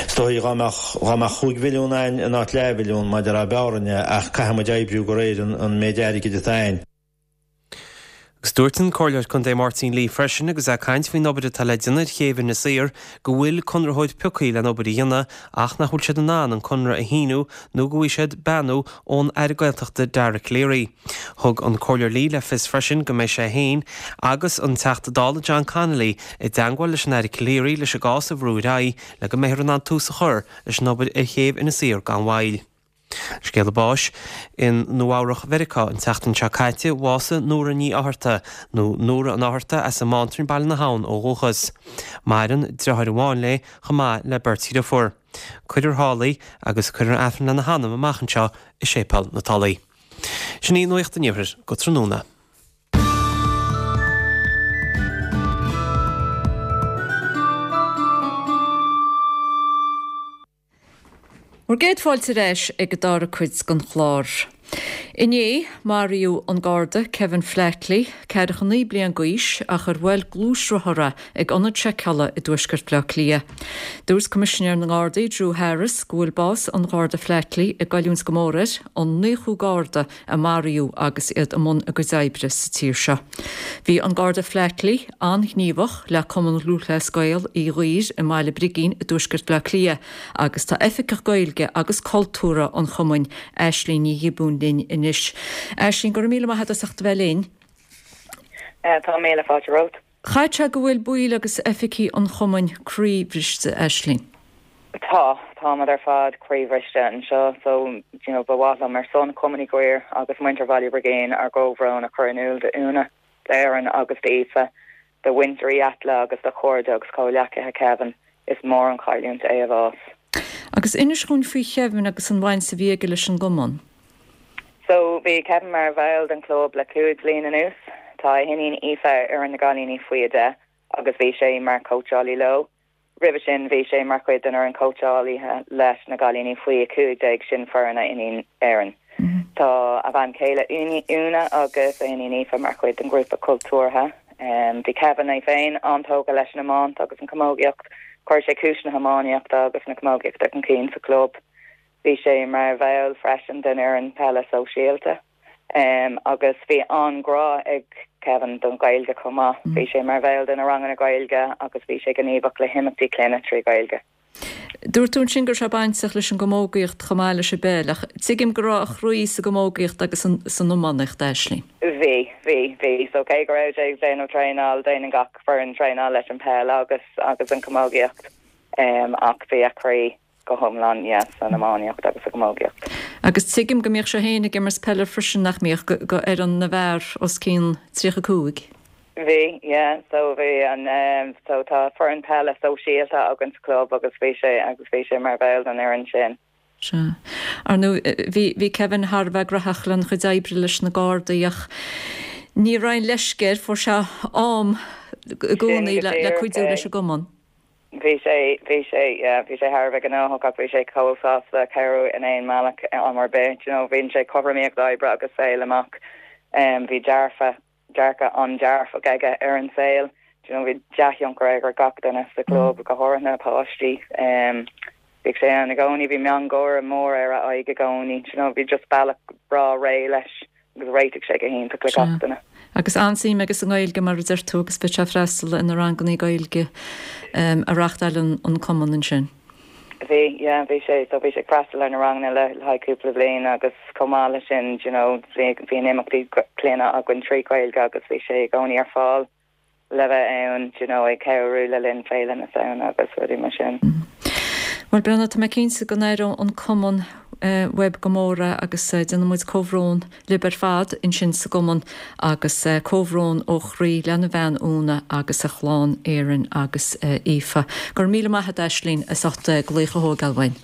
Is dóichí dhá mbeadh, dhá mbeadh chúig mhilliún a'ainn in áit leathmhilliún, mar a déarfá b'fhearr é, ach caithfidh muid oibriú de réir an méid airgid atá a'ainn. Agus dúirt an Comhairleoir Contae Máirtín Lee freisin agus é ag caint faoin obair atá le déanamh ar chéibh Inis Oírr go bhfuil conraitheoir pioctha len obair a dhéanamh ach nach bhfuil siad in ann an conradh a shíniú nó go bhfaighidh siad beannú ón Aire Gaeltachta Dara Calleary. Thug an Comhairleoir Lee le fios freisin go mbeidh sé féin agus an Teachta Dála John Connolly i dteangmháil leis an Aire Calleary leis an gcás a bhrú ar aghaidh le go mbeifear in ann tús a chur leis an obair ar chéibh Inis Oírr gan mhoill. Scéala báis, I Nua Eabhrach Mheiriceá an tseachtain seo caite, bhásaigh Nóra Ní Fhátharta, nó Nóra an Fhátharta as an mBántrainn Baile na hAbhann ó dhúchas. Maireann driotháir amháin léi chomh maith le beirt dhriofúr. Cuirfear thall í agus cuirfear Aifreann lena hanam amach anseo i Séipéal na Tulaí. Sin í Nuacht an Iarthair go tráthnóna. Bhur gcéad fáilte ar ais ag an dara cuid den chlár. Inné, maraíodh an Garda Kevin Flatley, 49 bliain d'aois, ach ar bhuail gluaisrothar é ag ionad seiceála i dtuaisceart Bhaile Átha Cliath. Dúirt Coimisinéir na nGardaí, Drew Harris, go bhfuil bás an Gharda Flatley ag goilliúint go mór air, an naochú Garda a maraíodh agus iad i mbun a gcuid oibre sa tír seo. Bhí an Garda Flatley an-ghníomhach le Cumann Lúthchleas Gael Uí Dhuibhir i mBaile Brigín i dtuaisceart Bhaile Átha Cliath agus tá Oifigeach Gaeilge agus Cultúrtha an chumainn, Aisling Ní Ghiobúin linn anois. Aisling, go raibh míle maith agat as ucht a bheith linn. Tá míle fáilte romhat. Chaithfeadh sé go bhfuil baill agus oifigigh an chumainn croíbhriste, Aisling. Tá, táimid ar fad croíbhriste anseo so you know ba mhaith liom ar son Chumann Uí Dhuibhir agus muintir Bhaile Brigín ár gcomhbhrón a chur in iúl d'Úna, d'Erin agus d'Aoife, do mhuintir Uí Aitle agus do chairde agus comhghleacaithe Kevin. Is mór an chailliúint é a bhás. Agus inis dhúinn faoi Chevin agus an bhaint a bhí aige leis an gcumann. So, bhí Kevin mar bhall den chlub le 5 bhliain anuas. Tá a hiníon Aoife ar fhoireann na gcailíní faoi 10 agus bhí sé mar chóitseálaí leo. Roimhe sin bhí sé mar chuid den fhoireann cóitseálaithe leis na gcailíní faoi 15, sin foireann a iníon Erin. Tá a bhean chéile Úna agus a iníon Aoife mar chuid den ghrúpa cultúrtha. Bhí Kevin é féin an-tógtha leis an iomáint agus an chamógaíocht. Chuir sé cúis na hiománaíochta agus na camógaíochta chun cinn sa chlub. Bhí sé mar bhall freisin den fhoireann peile sóisialta. Agus bhí an-ghrá ag Kevin don Ghaeilge chomh maith. Bhí sé mar bhall de na ranganna Gaeilge agus bhí sé gníomhach le himeachtaí clainne trí Ghaeilge. Dúirt tú ansin go raibh sé bainteach leis an gcamógaíocht chomh maith leis an bpeil, ach tuigim go raibh a chroí sa gcamógaíocht agus san iománaíocht, Aisling. Bhí, bhí, bhí. So cé go raibh sé ag déanamh traenáil, déanann gach foireann traenáil leis an peil agus agus an chamógaíocht, ach bhí a chroí go hiomlán, yeah, san iománaíocht agus sa gcamógaíocht. Agus tuigim go mbíodh sé féin ag imirt peile freisin, nach mbíodh, go fhoireann na bhfear os cionn 35? Bhí, yeah, so bhí an, eh, so tá foireann peile sóisialta againn sa chlub agus bhí sé, agus bhí sé mar bhall den fhoireann sin. Sea. Ar ndóigh, bhí, bhí Kevin thar a bheith graitheach lena chuid oibre leis na Gardaí ach ní raibh aon leisce air, fuair sé am i gcónaí le, le cuidiú leis an gcumann. Bhí sé, bhí sé, yeah, bhí sé thar a bheith gnóthach ach bhí sé chomh sásta cabhrú in aon mbealach am ar bith, do you know, bhain sé cothromaíocht oibre agus saoil amach. Bhí dearfa, dearcadh an-dearfach aige ar an saol, do you know, bhí dea-thionchar aige ar gach duine sa chlub, go háirithe na páistí. Bhíodh sé ann i gcónaí, bhí miongháire mór ar a aghaidh i gcónaí, do you know, bhí just bealach breá réidh leis. agus réitigh sé go hiontach le gach duine. Agus an-suim aige sa nGaeilge, mar a deir tú, agus bhíodh sé ag freastal ar na rangannaí Gaeilge a reáchtáileann an cumann ansin. Bhí, yeah, bhí sé, so bhí sé ag freastal ar na ranganna le haghaidh cúpla bliain agus chomh maith leis sin, do you know, bhí, bhíonn imeachtaí clainne againn trí Ghaeilge agus bhí sé i gcónaí ar fáil. le bheith ann, do you know, ag cabhrú le linn Féile na Samhna agus rudaí mar sin. Bhuel, Brenna, tá mé cinnte go n-aireoidh an cumann uaibh go mór é agus déanann muid comhbhrón libh ar fad ansin sa gcumann agus comhbhrón ó chroí lena bhean Úna agus a chlann Erin agus Aoife. Go raibh míle maith agat, Aisling, as ucht glaoch a thógáil uainn.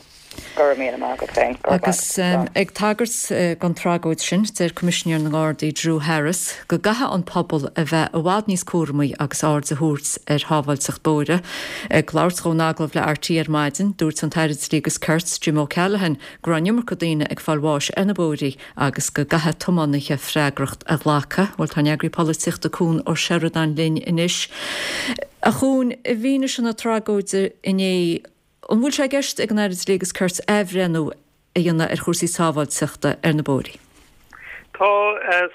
Go raibh míle maith agat féin. Go raibh Agus ag tagairt don tragóid sin, deir Coimisinéir na nGardaí Drew Harris go gcaithfidh an pobal a bheith i bhfad níos cúramaí agus aird a thabhairt ar shábháilteacht bóithre. Ag labhairt dó in agallamh le RTÉ ar maidin, dúirt an tAire Dlí agus Cirt, Jim O'Callaghan, go raibh an iomarca daoine ag fáil bháis ar na bóithrí agus go gcaithfidh tiománaithe freagracht a ghlacadh. Bhuel, tá an Eagraí Polaitíochta Cuan Ó Seireadáin linn anois. A Chuain, i bhfianaise na tragóide inné, An bhfuil sé i gceist ag an Aire Dlí agus Cirt athbhreithniú a dhéanamh ar chúrsaí sábháilteachta ar na bóithrí? Tá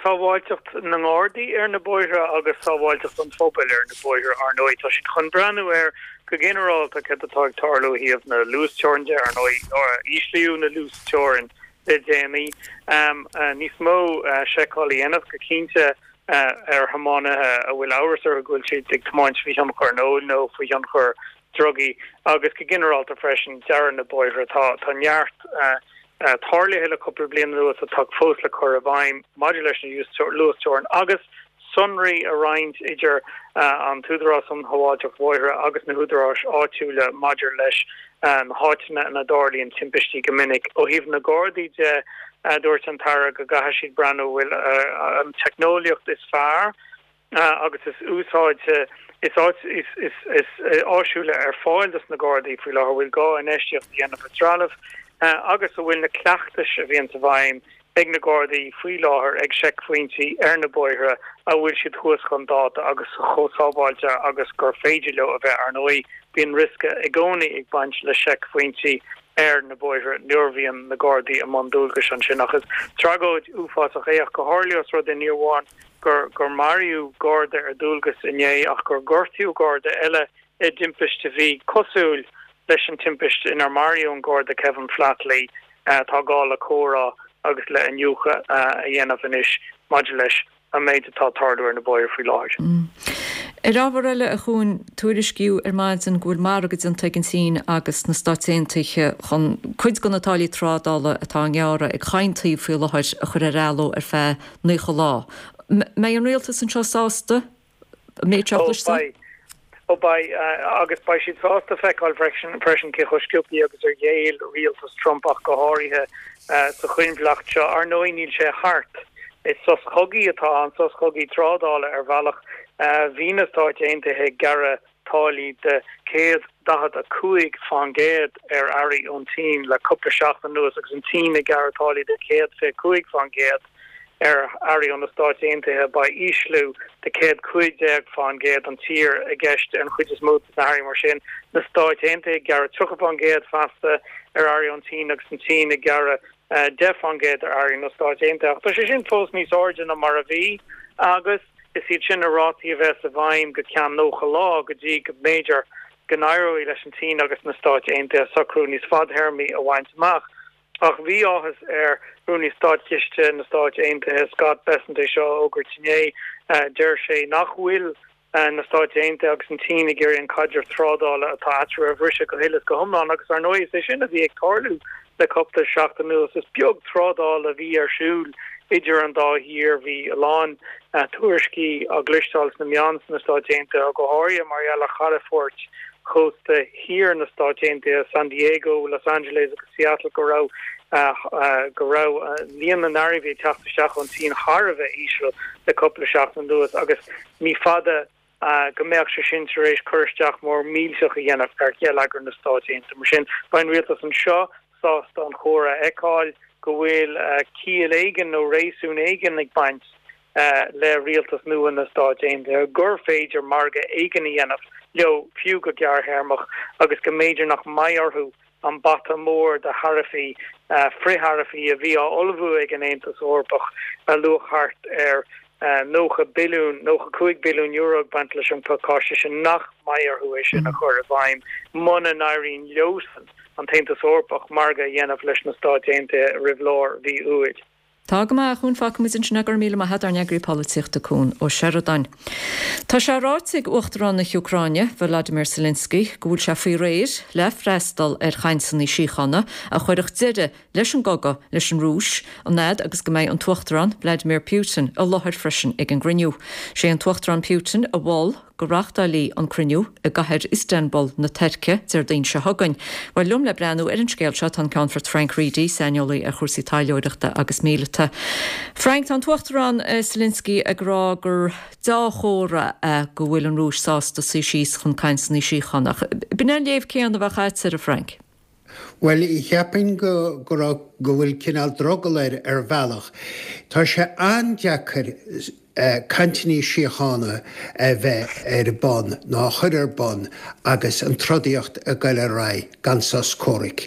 sábháilteacht na nGardaí ar na bóithre agus sábháilteacht an phobail ar na bóithre, ar ndóigh. Tá siad chun breathnú ar, go ginearálta, céard atá ag tarlú ó thaobh na luasteorann de, ar ndóigh, íslíodh na luasteorann le déanaí. Níos mó seiceáil a dhéanamh, go cinnte, ar thiománaithe a bhfuil amhras orthu go bhfuil siad ag tiomáint faoi thionchar an óil nó faoi thionchar drugaí agus go ginearálta freisin dearadh na bóithre. Tá neart. tarlaithe le cúpla bliain anuas atá fós le cur i bhfeidhm maidir leis na luasteorainn agus sonraí a roinnt idir an tÚdarás um Shábháilteacht Bhóithre agus na húdaráis áitiúla maidir leis na háiteanna ina dtarlaíonn timpistí go minic. Ó thaobh na Gardaí de, dúirt an tAire go gcaithfidh siad breathnú an bhfuil an teicneolaíocht is fearr agus is úsáide is is áisiúla ar fáil dos na Gardaí faoi láthair, an bhfuil gá infheistíocht a dhéanamh i dtrealamh agus an bhfuil na cleachtais a bhíonn i bhfeidhm ag na Gardaí faoi láthair ag seicphointí ar na bóithre, an bhfuil siad thuas chun dáta agus chomh sábháilte agus gur féidir leo a bheith. Ar ndóigh, bíonn riosca i gcónaí ag baint le seicphointí ar na bóithre nuair a bhíonn na Gardaí i mbun dualgais ansin ach is tragóid uafásach é ach go háirithe os rud é ní amháin gur gur maraíodh Garda ar dualgas inné ach gur gortaíodh Garda eile i dtimpist a bhí cosúil leis an timpist inar maraíodh an Garda Kevin Flatley. Tá gá le comhrá agus le iniúchadh a dhéanamh anois maidir leis an méid atá ag tarlú ar na bóithre faoi láthair. Ar ábhar eile, a Chuain, tuairiscíodh ar maidin go bhfuil margadh déanta ag an tSín agus na Stáit Aontaithe chun cuid de na táillí trádála atá á ngearradh ag chaon taobh faoi láthair a chur ar athló ar feadh 90 lá. Mbeidh an rialtas anseo sásta an méid seo a Ó, chloisteáil? beidh. Ó, beidh. Agus beidh siad sásta feiceáil freisin freisin cé chomh sciobthaí agus ar ghéill rialtas Trump ach go háirithe sa choinbhleacht seo. Ar ndóigh níl sé thart. Is sos cogaidh atá ann, sos cogaidh trádála ar bhealach. Bhí na Stáit Aontaithe ag gearradh táillí de 145% ar earraí ón tSín le cúpla seachtain anuas agus an tSín ag gearradh táillí de 125% ar earraí ó na Stáit Aontaithe. Beidh ísliú de 115% an tír i gceist ar an chuid is mó de na hearraí mar sin. Na Stáit Aontaithe ag gearradh 30% feasta ar earraí ón tSín agus an tSín ag gearradh 10% ar earraí na Stáit Aontaithe. Ach tá sé sin fós níos airde ná mar a bhí agus is iad sin na rátaí a bheas i bhfeidhm go ceann 90 lá go dtí go mb'fhéidir go n-éireoidh leis an tSín agus na Stáit Aontaithe socrú níos fadthéarmaí a bhaint amach. Ach bhí áthas ar Rúnaí Státchiste na Stáit Aontaithe, Scott Bessent é seo a fhógairt inné. Deir sé nach bhfuil na Stáit Aontaithe agus an tSín ag iarraidh an caidreamh trádála atá eatarthu a bhriseadh go huile is go hiomlán agus, ar ndóigh, is é sin a bhí ag tarlú le cúpla seachtain anuas. Is beag trádáil a bhí ar siúl idir an dá thír. Bhí a lán tuairiscí á gcloisteáil sna meáin sna Stáit Aontaithe, go háirithe mar gheall ar chalafoirt chósta thiar na Stáit Aontaithe, San Diego, Los Angeles agus Seattle, go raibh go raibh líon na n-earraí a bhí ag teacht isteach ón tSín thar a bheith íseal le cúpla seachtain anuas agus Ní fada go mbeadh sé sin tar éis cur isteach mór millteach a dhéanamh ar gheilleagar na Stáit Aontaithe. Mar sin, beidh an rialtas anseo sásta an comhrá a fheiceáil, go bhfuil ciall éigin nó réasún éigin ag baint le rialtas nua na Stáit Aontaithe, gur féidir margadh éigin a dhéanamh leo, fiú go gearrthéarmach, agus go mb'fhéidir nach mbeidh orthu an bata mór de tharaifí, frith-tharaifí a bhí á ullmhú ag an Aontas Eorpach, a luach thart ar €90 billiún, €95 billiún ag baint leis an bpacáiste sin, nach mbeidh orthu é sin a chur i bhfeidhm muna n-éiríonn leosan, an tAontas Eorpach, margadh a dhéanamh leis na Stáit Aontaithe roimh lár mhí Iúil. Tá go maith, a Chuain, fágfaimid ansin é, go raibh míle maith agat, ár n-eagraí polaitíochta Cuan Ó Seireadáin. Tá sé ráite ag Uachtarán na hÚcráine, Volodymyr Zelensky, go bhfuil sé faoi réir le freastal ar chainteanna síochána a chuirfeadh deireadh leis an gcogadh leis an Rúis, an fhad agus go mbeidh an tUachtarán Vladimir Putin i láthair freisin ag an gcruinniú. Sé an tUachtarán Putin a mhol go reáchtáilí an cruinniú i gcathair Istanbul na Tuirce Déardaoin seo chugainn. Bhuel, liom le breathnú ar an scéal seo tá an Ceannfort Frank Reidy, saineolaí ar chúrsaí taidhleoireachta agus míleata. Frank, tá an tUachtarán Zelensky ag rá gur deá-chomhartha é go bhfuil an Rúis sásta suí síos chun cainteanna síochána. Ach b'in é an léamh céanna a bheadh agatsa air, a Frank? Bhuel, cheapfainn go, go raibh, go bhfuil cineál drogall air ar bhealach. Tá sé an-deacair cainteanna síochána a bheith ar bun nó a chur ar bun agus an trodaíocht ag goil ar aghaidh gan sos comhraic.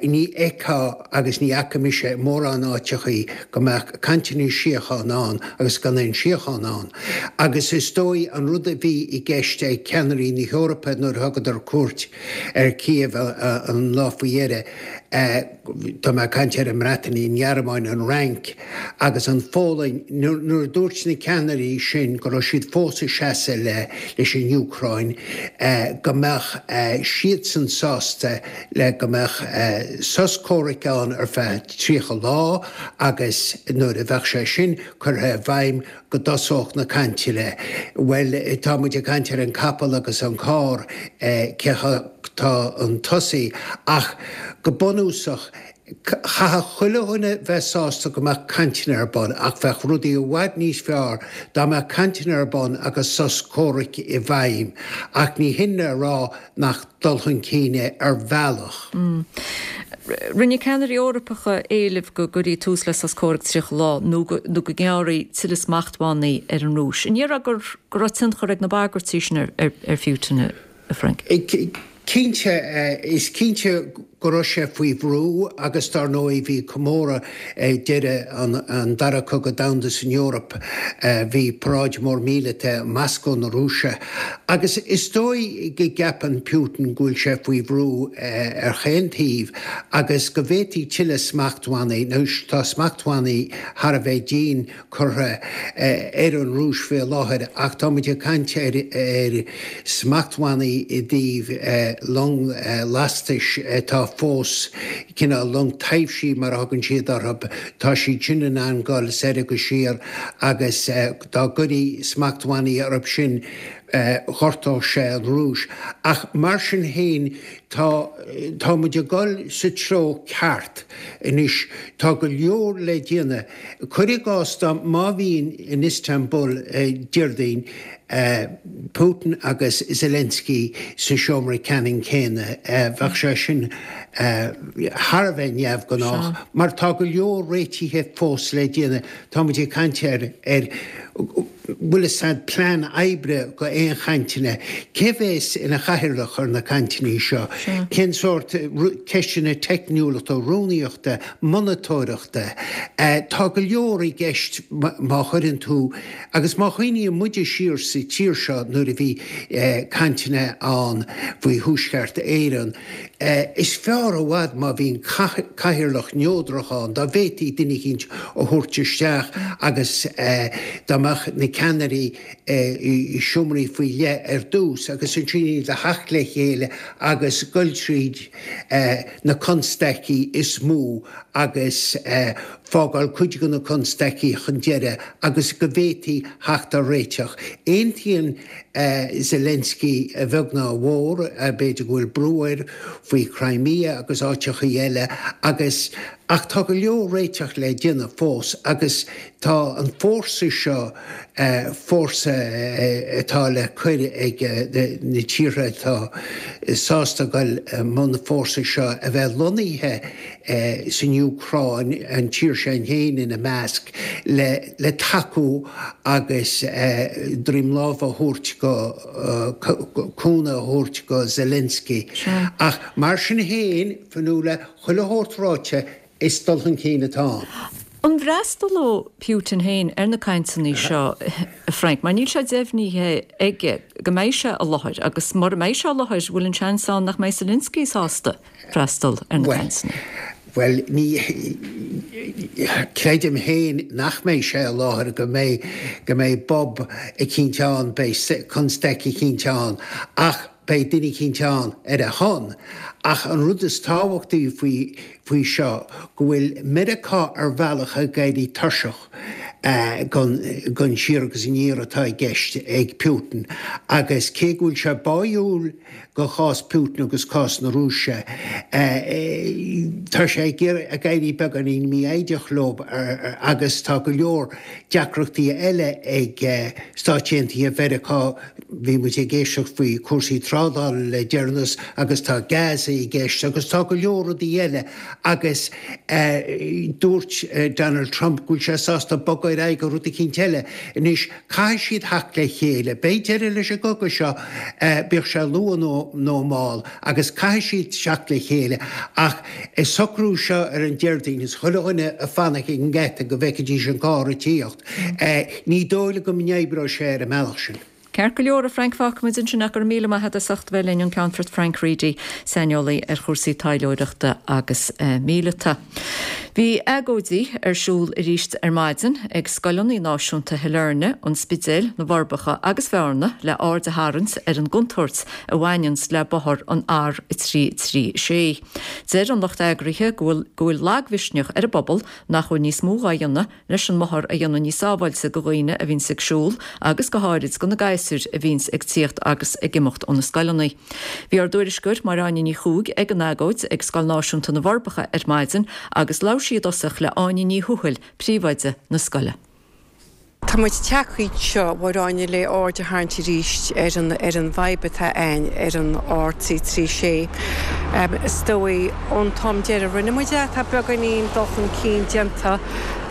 Ní fheicfeá agus ní fhaca mise i mórán áiteachaí go mbeadh cainteanna síochána ann agus gan aon síocháin ann. Agus is dóigh an rud a bhí i gceist ag ceannairí na hEorpa nuair a thugadar cuairt ar Kiev an lá faoi dheireadh. Tá mé ag caint ar an mBreatain, an Ghearmáin, an Fhrainc agus an Pholainn, nuair a dúirt na ceannairí sin go raibh siad fós ag seasamh leis an Úcráin, go mbeadh siadsan sásta le go mbeadh sos comhraic ann ar feadh 30 lá agus nuair a bheadh sé sin curtha i bhfeidhm go dtosódh na cainteanna. Bhuel, tá muid ag caint ar an capall agus an carr, cé atá chun tosaigh, ach go bunúsach, chaithfeadh chuile dhuine bheith sásta go mbeadh cainteanna ar bun, ach bheadh rudaí i bhfad níos fearr dá mbeadh cainteanna ar bun agus sos comhraic i bhfeidhm. Ach ní hin le rá nach dul chun cinn é ar bhealach. Rinne ceannairí Eorpacha éileamh go gcuirfí tús le sos comhraic 30 lá nó go ngearrfaí tuilleadh smachtbhannaí ar an Rúis. An ndéarfá go raibh tionchar ag na bagairtí sin ar Putin, a Frank? Cinnte, is cinnte go raibh sé faoi bhrú agus dar ndóigh bhí comóradh ag deireadh an Dara Cogadh Domhanda san Eoraip, bhí paráid mór míleata i Moscó na Rúise agus is dóigh go gceapann Putin go bhfuil sé faoi bhrú ar chaon taobh agus go bhféadfaí tuilleadh smachtbhannaí, nó tá smachtbhannaí thar a bheith dian curtha ar an Rúis faoi láthair ach tá muid ag caint ar smachtbhannaí i dtaobh long lastais atá fós, cineál long taibhsí mar a thugann siad orthu, tá siad sin in ann dul soir agus siar agus dá gcuirí smachtbhannaí orthu sin ghortódh sé an Rúis. Ach mar sin féin tá, tá muid ag dul sa treo ceart anois. Tá go leor le déanamh. Cuir i gcás dá má bhíonn in Istanbul Déardaoin, Putin agus Zelensky sa seomra ceannann céanna, bheadh sé sin thar a bheith neamhghnách mar tá go leor réitithe fós le déanamh. Tá muid ag caint ar ar bhfuil fhios a'd plean oibre go aon chainteanna, cé bhéas ina chathaoirleach ar na cainteanna seo, cén sórt ceisteanna teicniúlachta, rúnaíochta, monatóireachta. Tá go leor i gceist má chuireann tú, agus má chuimhníonn muide siar sa tír seo nuair a bhí cainteanna ann faoi Thuaisceart Éireann, Is fearr i bhfad má bhíonn cathaoirleach neodrach ann, dá bhféadfaí duine eicínt a thabhairt isteach agus dá mbeadh na ceannairí i seomraí faoi leith ar dtús agus ansin iad a theacht le chéile agus goil tríd na constaicí is mó agus fágáil cuid de na constaicí chun deireadh agus go bhféadfaí theacht ar réiteach. Aontaíonn Zelensky a bheag ná a mhór, b'fhéidir go bhfuil brú air faoi Crimea agus áiteachaí eile agus ach tá go leor réiteach le déanamh fós agus tá an fórsa seo, fórsa atá le cur ag na tíortha atá sásta dul i mbun an fórsa seo a bheith lonnaithe san Úcráin, an tír sin féin ina measc, le tacú agus droim láimhe a thabhairt go, cúnamh a thabhairt go Zelensky. Ach mar sin féin, Fionnuala, chuile shórt ráite, is dul chun cinn atá ann. An bhfreastalóidh Putin féin ar na cainteanna seo, a Frank? Mar níl sé deimhnithe aige go mbeidh sé i láthair agus mura mbeidh sé i láthair, bhfuil an seans ann nach mbeidh Zelensky sásta? freastal ar na cainteanna. Bhuel, ní creidim féin nach mbeidh sé i láthair, go mbeidh, go mbeidh bob eicínt ann, beidh constaic eicínt ann, ach beidh duine eicínt ann ar a shon. Ach an rud is tábhachtaí faoi, faoi seo, go bhfuil Meiriceá ar bhealach ag éirí tuirseach den, den siar agus aniar atá i gceist ag Putin agus cé go bhfuil sé báúil, go chás Putin agus cás na Rúise. Tá sé ag éirí beagáinín mífhoighdeach leo agus tá go leor deacrachtaí eile ag Stáit Aontaithe Mheiriceá. Bhí muid ag éisteacht faoi cúrsaí trádála le deireanas agus tá Gaza i gceist agus tá go leor rudaí eile agus dúirt Donald Trump go bhfuil sé sásta bogadh ar aghaidh go rud eicínt eile. Anois Caithfidh siad theacht le chéile. Beidh deireadh leis an gcogadh seo, bíodh sé luath nó mall, agus caithfidh siad teacht le chéile. Ach an socrú seo ar an Déardaoin, is chuile dhuine ag fanacht ag an ngeata go bhfeicfidís an carr ag tíocht, ní dóigh liom go n-oibreoidh sé ar an mbealach sin. Ceart go leor, a Frank, fágfaimid ansin é. Go raibh míle maith agat as ucht a bheith linn, an Ceannfort Frank Reidy, saineolaí ar chúrsaí taidhleoireachta agus míleata. Bhí agóidí ar siúl arís ar maidin ag scoileanna náisiúnta Shailearna, An Spidéil, na bhForbacha agus Bhearna le aird a tharraingt ar an gcontúirt a bhaineanns le bothar an R336. Deir an lucht eagraithe go bhfuil go bhfuil lagmhisneach ar an bpobal nach bhfuil níos mó dhá dhéanamh leis an mbothar a dhéanamh níos sábháilte go dhaoine a bhíonns ag siúl agus go háirid go na gasúir a bhíonns ag tíocht agus ag imeacht ó na scoileanna. Bhí ár dtuairisceoir Máire Áine Ní Chuaig ag an agóid ag Scoil Náisiúnta na bhForbacha ar maidin agus labhair sí i dtosach le Áine Ní Thuathail, príomhoide na scoile. Tá muid tagtha anseo, a Mháire Áine, le aird a tharraingt arís ar an ar an bhfadhb atá ann ar an R336. Is dóigh ón t-am deiridh a rinne muid é, tá beagáinín dul chun cinn déanta.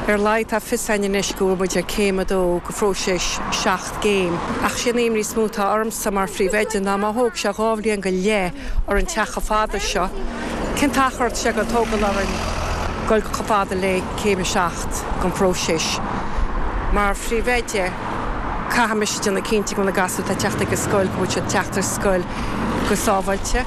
Ar a laghad tá fios againn anois go bhfuil muid ar céim a dó de phróiseas 7 gcéim. Ach sé an imní is mó atá ormsa mar phríomhoide ná má thóg sé 2 bhliain go leith orainn teacht chomh fada seo, cén t-achar atá sé ag tógáil orainn goil chomh fada le céim a 7 den phróiseas? Mar phríomhoide, caithfidh mise déanamh cinnte go bhfuil na gasúir atá ag teacht ag an scoil, go bhfuil siad ag teacht ar scoil go sábháilte.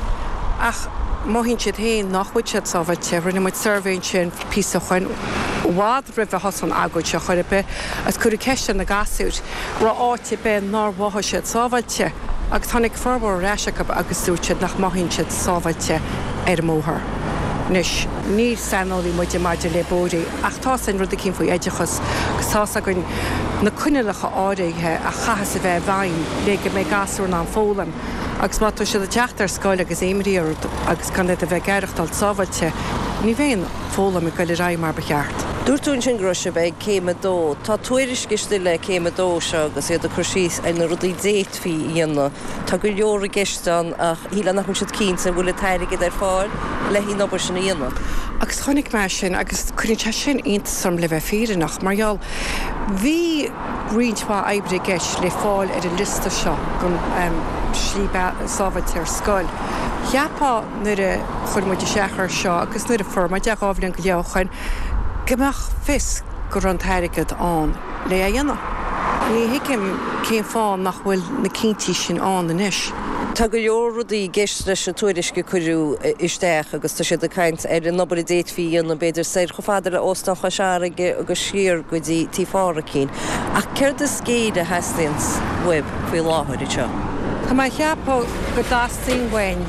Ach mothaíonn siad féin nach bhfuil siad sábháilte. Rinne muid suirbhé ansin píosa ó shoin, i bhfad roimh a thosaigh an agóid seo chor ar bith, agus cuireadh ceist ar na gasúir, raibh áit ar bith nár mhothaigh siad sábháilte, agus tháinig formhór ar ais acu agus dúirt siad nach mothaíonn siad sábháilte ar an mbóthar. Anois, ní saineolaí muide maidir le bóithre, ach tá's againn rud eicínt faoi oideachas, agus tá's againn na coinníollacha áirithe a chaithfeas a bheith i bhfeidhm le go mbeidh gasúr in ann foghlaim. Agus má tá siad ag teacht ar scoil agus imní orthu agus gan iad a bheith ag aireachtáil sábháilte, ní bheidh an foghlaim ag goil ar aghaidh mar ba cheart. Dúirt tú ansin go raibh sibh ag céim a dó. Tá tuairisc istigh le céim a dó seo agus iad ag cur síos ar na rudaí d'fhéadfaí a dhéanamh. Tá go leor i gceist ann ach shílfeá nach bhfuil siad cinnte an bhfuil an t-airgead ar fáil le an obair sin a dhéanamh. Agus chonaic mé sin agus cuireann sé sin iontas orm le bheith fírinneach mar gheall bhí roinnt mhaith oibre i gceist le fáil ar an liosta seo don slí sábháilte ar scoil. Cheapfá nuair a chuir muid isteach air seo agus nuair a fuair muid é 2 bhliain go leith ó shoin go mbeadh fios go raibh an t-airgead ann le é a dhéanamh. Ní thuigim cén fáth nach bhfuil na cinntí sin ann anois. Tá go leor rudaí i gceist leis an tuairisc a cuireadh isteach agus tá siad ag caint ar an obair a d'fhéadfaí a dhéanamh b'fhéidir soir chomh fada le Óstán Chois Fharraige agus siar go dtí Tí Pháraic. Ach céard is géire a theastaíonns uaibh faoi láthair anseo? Tá mé a cheapadh go dteastaíonn uainn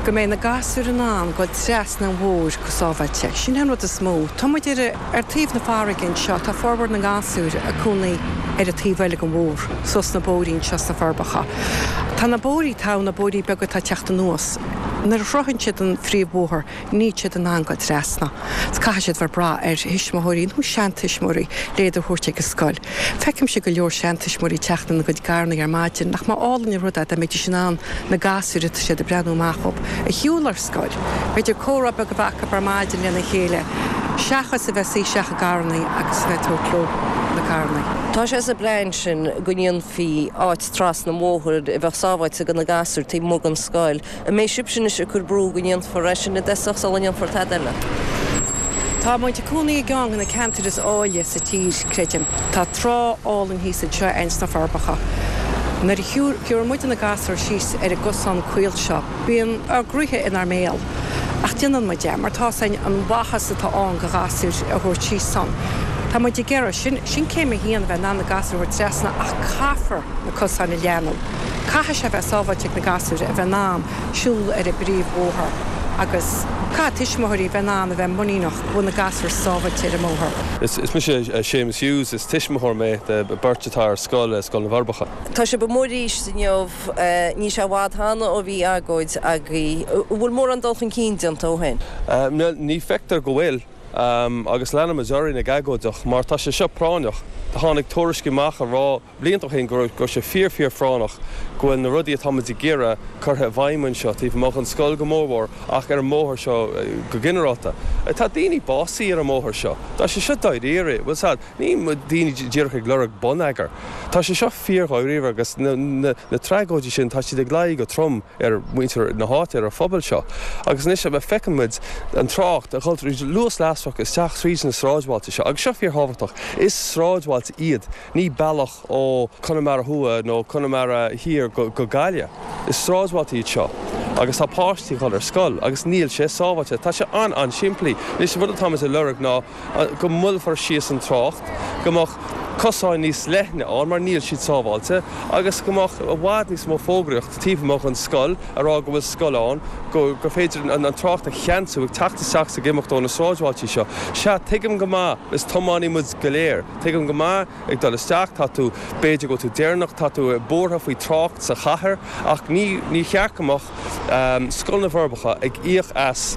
go mbeidh na gasúir in ann goil trasna an bhóthair go sábháilte. Sin é an rud is mó. Tá muid ar ar taobh na farraige anseo, tá formhór na ngasúr ag cónaí ar an taobh eile den bhóthar, suas na bóithrí anseo sna Forbacha. Tá na bóithrí atá ann, na bóithrí beaga atá ag teacht anuas, nuair a shroicheann siad an phríomhbhóthar, níl siad in ann goil trasna. So caithfidh siad bheith ag brath ar thuismitheoirí nó seantuismitheoirí le iad a thabhairt ag an scoil. Feicimse go leor seantuismitheoirí ag teacht lena gcuid garrannaí ar maidin. Nach mba álainn an rud é dá mbeidís in ann na gasúir atá siad ag breathnú amach dhóibh a shiúl ar scoil. B'fhéidir comhrá beag a bheith acu ar maidin lena chéile seachas a bheith suí isteach i gcarrannaí agus a bheith ag tabhairt leo na carrannaí. Tá sé sa bplean sin go ndéanfaí áit trasna an bhóthair a bheadh sábháilte do na gasúir taobh amuigh den scoil. An mbeidh sibhse anois ag cur brú go ndéanfar é sin i dtosach sula ndéanfar tada eile? Tá muid ag cónaí i gceann de na ceantair is áille sa tír, creidim. Tá trá álainn thíos anseo againn sna Forbacha. Nuair a shiúlann muid na gasúir síos ar an gcosán caol seo, bíonn ár gcroíthe inár mbéal. Ach déanann muid é, mar tá's againn an mhaitheas atá ann do ghasúir a thabhairt síos ann. Tá muid ag iarraidh, sin, sin céim a haon, a bheith in ann na gasúir a thabhairt trasna ach caithfear na cosáin a leathnú. Caithfidh sé bheith sábháilte ag na gasúir a bheith in ann siúl ar an bpríomhbhóthar agus caithfidh tuismitheoirí bheith in ann a bheith muiníneach go bhfuil na gasúir sábháilte ar an mbóthar. Is mise Séamus Hughes, is tuismitheoir mé de beirt atá ar scoil, Scoil na bhForbacha. Tá sibh amuigh arís inniu, níl sé i bhfad cheana ó bhí agóid agaibh. An bhfuil mórán dul chun cinn déanta ó shin? Ní feictear go bhfuil. Agus leanfaimid orainn ag agóideach mar tá sé seo práinneach. Tháinig tuairiscí amach a rá blianta ó shin go raibh sé fíor fíor phráinneach go bhfuil na rudaí atá muid ag iarraidh curtha i bhfeidhm anseo, taobh amuigh den scoil go mórmhór ach ar an mbóthar seo go ginearálta. Tá daoine básaithe ar an mbóthar seo. Tá sé seo dáiríre. Bhfuil 's a'd, ní daoine díreach ag lorg bonneagair. Tá sé seo fíor dháiríre agus na tragóidí sin tá siad ag luí go trom ar mhuintir na háite, ar an phobal seo. Agus anois feiceann muid an trácht ag dul tríd luas lasrach isteach tríd na sráidbhailte seo agus seo fíor thábhachtach. Is sráidbhailte. sráidbhailte iad, ní bealach ó Conamara Thuaidh nó Conamara Thiar go Gaillimh. Is sráidbhailte iad seo agus tá páistí ag dul ar scoil agus níl sé sábháilte. Tá sé an-an-simplí. Anois an rud atáimid a lorg ná go moillfear síos an trácht, go mbeadh cosáin níos leithne ann mar níl siad sábháilte agus go mbeadh i bhfad níos mó fógraíocht taobh amuigh den scoil a rá go bhfuil scoil ann, go gur féidir an trácht a cheansú ag teacht isteach is ag imeacht ó na sráidbhailtí seo. Sea, tuigim go maith, is tiománaí muid go léir, tuigim go maith, ag dul isteach, tá tú, b'fhéidir go bhfuil tú deireanach, tá tú buartha faoi trácht sa chathair ach ní, ní cheart go mbeadh Scoil na bhForbacha ag íoc as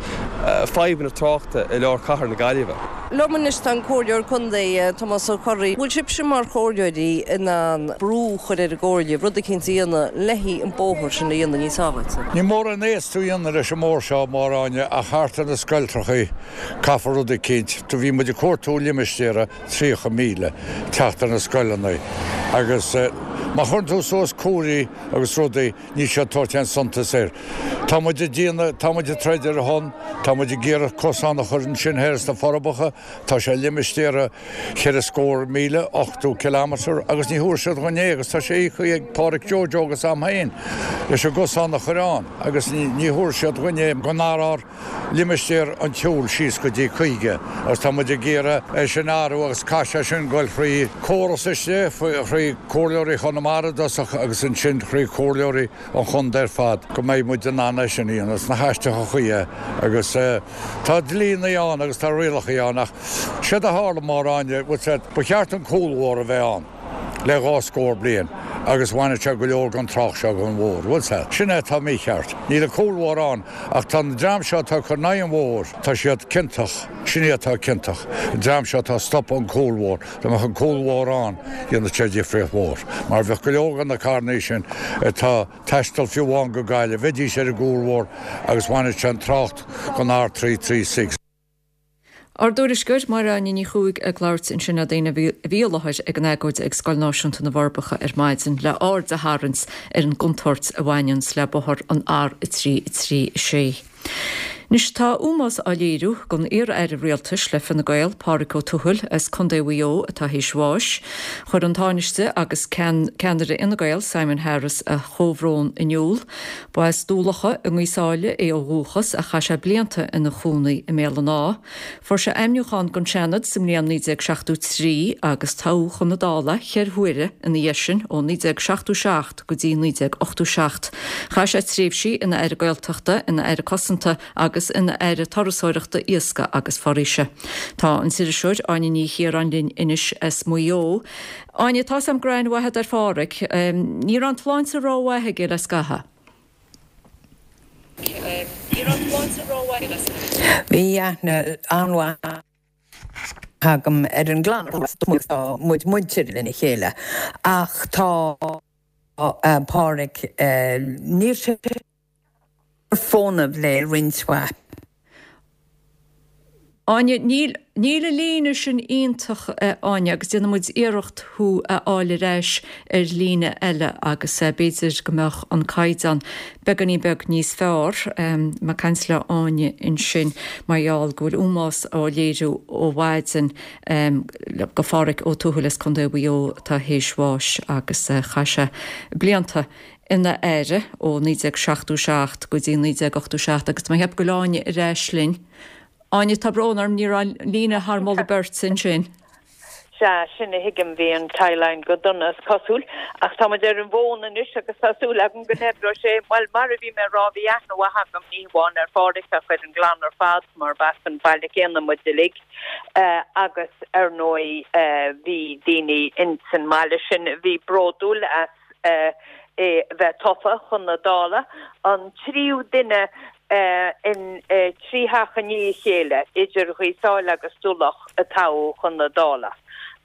fadhbanna tráchta i lár cathair na Gaillimhe. Liom anois tá an Comhairleoir Contae, Tomás Ó Corraidh. Bhfuil sibhse mar chomhairleoirí in ann brú a chur ar an gComhairle rud eicínt a dhéanamh le an bóthar sin a dhéanamh níos sábháilte? Níl mórán éasca a dhéanamh leis an mbóthar seo, a Mháire Áine, ach thart ar na scoiltreachaí caithfear rud eicínt. Do bhí muid ag cuartú limistéara 30,000 teacht ar na scoileanna agus má chuireann tú suas comharthaí agus rudaí níl siad ag tabhairt aon suntas air. Tá muid ag déanamh, tá muid ag troid ar a shon, tá muid ag iarraidh cosán a chur ansin thoir sna Forbacha, tá sé limistéar cheithre scór míle, 80 kilometre, agus ní thabharfaidh siad dhúinn é agus tá sé íoctha ag Páraic Joe Joe agus a'm féin leis an gcosán a chur ann agus ní thabharfaidh siad dhúinn é go n-athrófar limistéar an tsiúil síos go dtí 50 agus tá muid ag iarraidh é sin a athrú agus caithfidh sé sin goil thrí córas istigh, thrí Comhairleoirí Chonamara i dtosach agus ansin thrí Chomhairleoirí an chontae ar fad go mbeidh muid in ann é sin a dhéanamh sna haisteacha chuí é agus tá dlíonnaí ann agus tá rialachaí ann ach séard a tharla Máire Áine, ba cheart an cúlbhóthar a bheith ann. le dhá scór bliain agus bhainfeadh sé go leor den trácht seo den bhóthar. Bhfuil 's a'd. Sin é atá mícheart. Níl an cúlbhóthar ann ach tá an dream seo atá ag cur in aghaidh an bhóthair, tá siad ciontach, sin iad atá ciontach, an dream seo atá ag stopadh an cúlbhóthar. Dá mbeadh an cúlbhóthar ann, dhéanfadh sé difríocht mhór. Mar bheadh go leor de na carrannaí sin atá taisteal fiú amháin go Gaillimh, bheidís ar an gcúlbhóthar agus bhainfeadh sé an trácht den R336. Ár dtuairisceoir, Máire Áine Ní Chuaig ag labhairt ansin le daoine a bhí i láthair ag an agóid ag Scoil Náisiúnta na bhForbacha ar maidin le aird a tharraingt ar an gcontúirt a bhaineanns le bóthar an R336. Anois tá ómós á léiriú don iar-aire rialtais le Fine Gael, Pádraig Ó Tuathail as Contae Mhaigh Eo atá théis bháis. Chuir an Tánaiste agus ceannaire Fhine Gael, Simon Harris a chomhbhrón in iúl. Ba as Dúlocha i nGaoth Sáile é ó dhúchas ach chaith sé blianta ina chónaí i mBéal an Átha. Fuair sé ainmniúchán don Seanad sa mbliain 1973 agus toghadh chun na Dála cheithre huaire ina dhiaidh sin ó 1977 go dtí 1987. Chaith sé tréimhsí ina Aire Gaeltachta, ina Aire Cosanta agus ina Aire Turasóireachta, Iascaigh agus Foraoise. Tá an t-iriseoir Áine Ní Chiaráin linn anois as Maigh Eo. Áine, tá's a'm go raibh aithne mhaith agat ar Phádhraic. Ní raibh an tsláinte rómhaith aige le scaitheamh. Bhí aithne an-mhaith agam ar an gclann tá muid muinteartha lena chéile ach tá Pádhraic, níl sé ar fónamh le roinnt mhaith. Áine, Níl, níl an líne sin iontach, a Áine, agus déanfaidh muid iarracht thú a fháil ar ais ar líne eile agus b'fhéidir go mbeadh an caighdeán beagáinín beag níos fearr. Mé ag caint le Áine ansin mar gheall go bhfuil ómós á léiriú ó mhaidin do Phádhraic Ó Tuathail as Contae Mhaigh Eo atá théis bháis agus chaith sé blianta ina aire ó 1977 go dtí 1987 agus tá mé ag ceapadh go bhfuil Áine ar ais linn. Áine, tá brón orm, ní raibh an líne thar moladh beirte ansin. Sea, sin a thuigim, bhí an tie-line go dona is cosúil. Ach tá muid ar an bhfón anois agus tá súil agam go n-oibreoidh sé. Bhuel, mar a bhí mé a rá, bhí aithne mhaith agam ní hamháin ar Phádhraic ach ar an gclann ar fad mar b'as an bhaile céanna muid uilig. Agus ar ndóigh bhí daoine ins an mbaile sin a bhí bródúil as é a bheith tofa chun na Dála, an tríú duine in trí theach i ndiaidh a chéile, idir Ghaoth Sáile agus Tulach, a toghadh chun na Dála.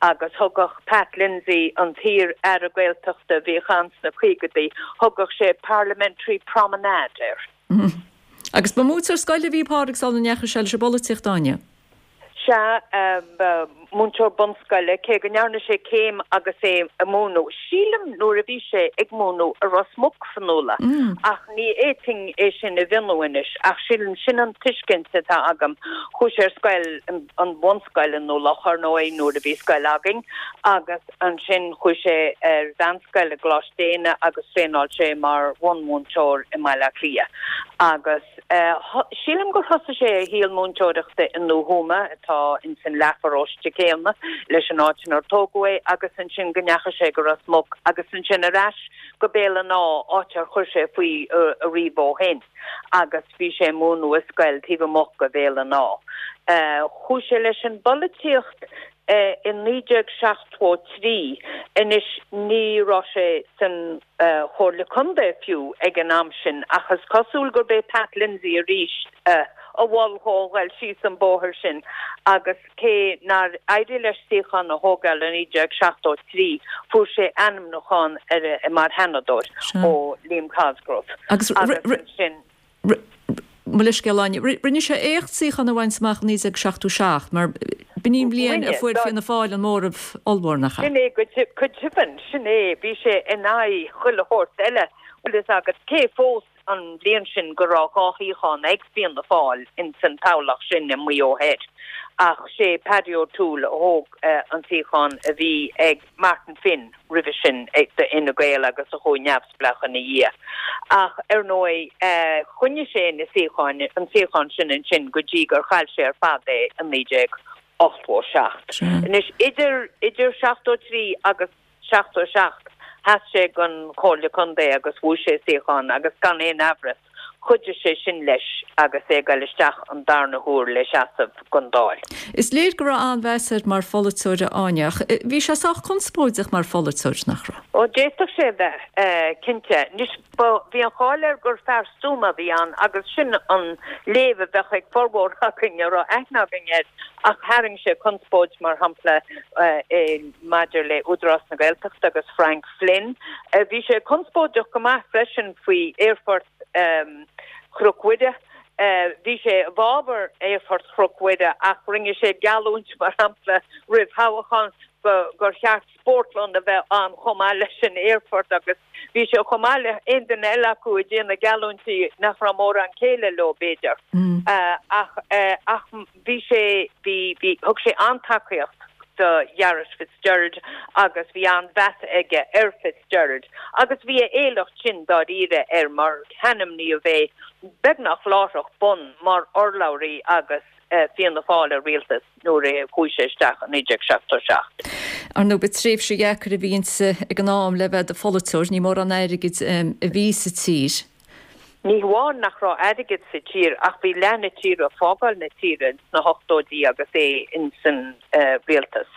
Agus thugadh Pat Lindsay, an t-iar-aire Gaeltachta a bhíodh ann sna caogaidí, thugadh sé 'parliamentary promenade' air. Agus ba mhúinteoir scoile a bhí i bPádraig sula ndeachaigh sé leis an bpolaitíocht, Áine? Sea, ba. Múinteoir bunscoile, cé go ndearna sé céim agus é ag múineadh, sílim nuair a bhí sé ag múineadh i Ros Muc, Fionnuala, ach ní fhéadfainn é sin a mhionnú anois, ach sílim, sin an tuiscint atá agam. Chuaigh sé ar scoil, an bhunscoil i nDún Locha, ar ndóigh, nuair a bhí scoil againn, agus ansin chuaigh sé ar mheánscoil i gColáiste Éanna agus thraenáil sé mar bhunmhúinteoir i mBaile Átha Cliath. Agus. Sílim gur thosaigh sé a shaol múinteoireachta i nDún Thuama, atá ins an leathpharóiste céanna leis an áit inar tógadh é, agus ansin go ndeachaigh sé go Ros Muc agus ansin ar ais go Béal an Átha, áit ar chuir sé faoi ariamh ó shin, agus bhí sé ag múineadh i scoil taobh amuigh de Bhéal an Átha. Chuaigh sé leis an bpolaitíocht i 1973. Anois ní raibh sé san. Chomhairle Contae fiú ag an am sin ach is cosúil gurb é Pat Lindsay arís a mhol dhó a ghoil síos an bóthar sin agus cé nár éirigh leis suíochán a thógáil i 1973 fuair sé ainmniúchán mar Sheanadóir ó Liam Cosgrove agus ansin Mo leithscéal, Áine. Rinne sé éacht suíochán a bhaint amach i 1977, mar b'in í an bhliain a fuair Fianna Fáil an móramh ollmhór, nach ea? Sin é go deimhin, sin é. Bhí sé in aghaidh chuile shórt eile, bhfuil fhios agat, cé fós an bhliain sin go raibh 2 shuíochán ag Fianna Fáil ins an toghlach sin i Maigh Eo Thoir, ach sé Paddy O'Toole a thóg an suíochán a bhí ag Martin Finn roimhe sin d'Fhine Gael agus a chuaigh neamhspleách ina dhiaidh. Ach ar ndóigh choinnigh sé na suíocháin, an suíochán sin ansin go dtí gur chaill sé ar fad é i 1987. Anois idir, idir 73 agus 77 sheas sé don Chomhairle Contae agus bhuaigh sé suíochán agus gan aon amhras, Chuidigh sé sin leis agus é ag goil isteach an darna huair le seasamh don Dáil. Is léir go raibh an-mheas air mar pholaiteoir, a Áine, ach bhí sé sách conspóideach mar pholaiteoir, nach raibh? Ó, d'fhéadfadh sé a bheith, cinnte. Anois, ba, bhí an cháil air gur fear stuama a bhí ann agus sin an léamh a bheadh ag formhór againn a raibh aithne againn air ach tharraing sé conspóid, mar shampla, maidir le Údarás na Gaeltachta agus Frank Flynn. Bhí sé conspóideach go maith freisin faoi aerfort Chnoc Mhuire. Bhí sé i bhfabhar aerfort Chnoc Mhuire ach rinne sé geallúint, mar shampla, roimh thoghchán gur cheart spórtlann a bheith ann chomh maith leis an aerfort agus bhí sé chomh maith le haon duine eile acu ag déanamh geallúintí nach raibh mórán céille leo, b'fhéidir. Ach ach bhí sé, bhí, bhí, thug sé an-tacaíocht do Ghearóid Fitzgerald agus bhí an-mheas aige ar Fitzgerald agus bhí a éileacht sin dáiríre air mar hainmníodh é beagnach láithreach bonn mar urlabhraí agus Fianna Fáil i rialtas nuair a chuaigh sé isteach i 1977. Ar ndóigh, ba tréimhse dheacair a bhí inti ag an am le bheith i do pholaiteoir, ní mórán airgid a bhí sa tír. Ní hamháin nach raibh airgead sa tír ach bhí leath na tíre ag fágáil na tíre ins na hochtóidí agus é ins an rialtas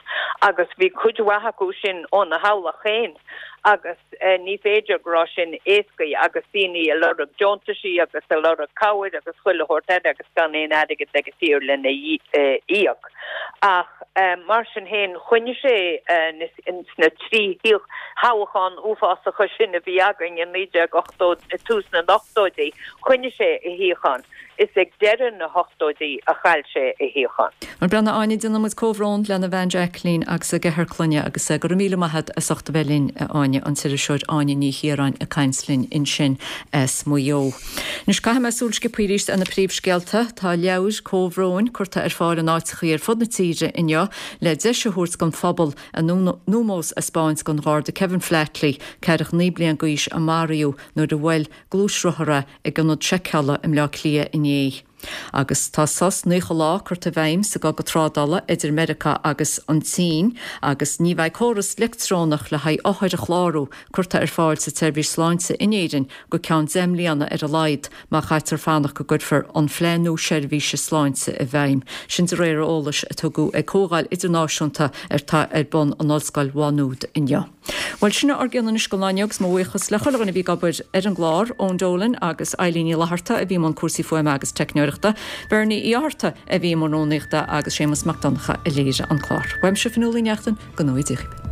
agus bhí cuid mhaith acu sin óna theaghlach féin agus ní féidir go raibh sin éascaí agus daoine ag lorg deontaisí agus ag lorg cabhair agus chuile shórt eile agus gan aon airgead ag an tír lena íoc. Ach mar sin féin choinnigh sé ins na 3 thoghchán uafásacha sin a bhí againn i 1980, i tús na n-ochtóidí, choinnigh sé a shuíochán. Is ag deireadh na hochtóidí a chaill sé a shuíochán. Bhuel, a Áine, déanann muid comhbhrón lena bhean Jacqueline agus a gceathrar clainne agus go raibh míle maith agat as ucht a bheith linn, a Áine, an t-iriseoir Áine Ní Chiaráin ag caint linn ansin as Maigh Eo. Anois caithfidh mé súil sciobtha arís ar na príomhscéalta. Tá leabhair comhbhróin curtha ar fáil in áiteachaí ar fud na tíre inniu le deis a thabhairt don phobal a n-ómós a 'speáint don Gharda Kevin Flatley, ceathracha 9 bliain d'aois a maraíodh nuair a bhuail gluaisrothar é ag ionad seiceála i mBleá Cliath inné. Agus tá sos 90 lá curtha i bhfeidhm sa gcogadh trádála idir Meiriceá agus an tSín agus ní bheidh córas leictreonach le haghaidh othair a chlárú curtha ar fáil sa tseirbhís sláinte in Éirinn go ceann 10 mbliana ar a laghad má chaitear fanacht go gcuirfear an phlean nua seirbhíse sláinte i bhfeidhm. Sin de réir eolais a tugadh ag comhdháil idirnáisiúnta atá ar bun in Ollscoil Mhá Nuad inniu. Bhuel, sin ár gcion anois don lá inniu agus mo bhuíochas le chuile dhuine a bhí ag obair ar an gclár, Eoin Dolan agus Eileen Ní Fhlatharta a bhí i mbun cúrsaí fuaime agus teicneoireachta, Bernie Uí Fhátharta a bhí i mbun rúnaíochta agus Séamus Mac Donncha a léirigh an clár. Uaimse Fionnuala Ní Neachtain, go ngnóthaí Dia dhaoibh.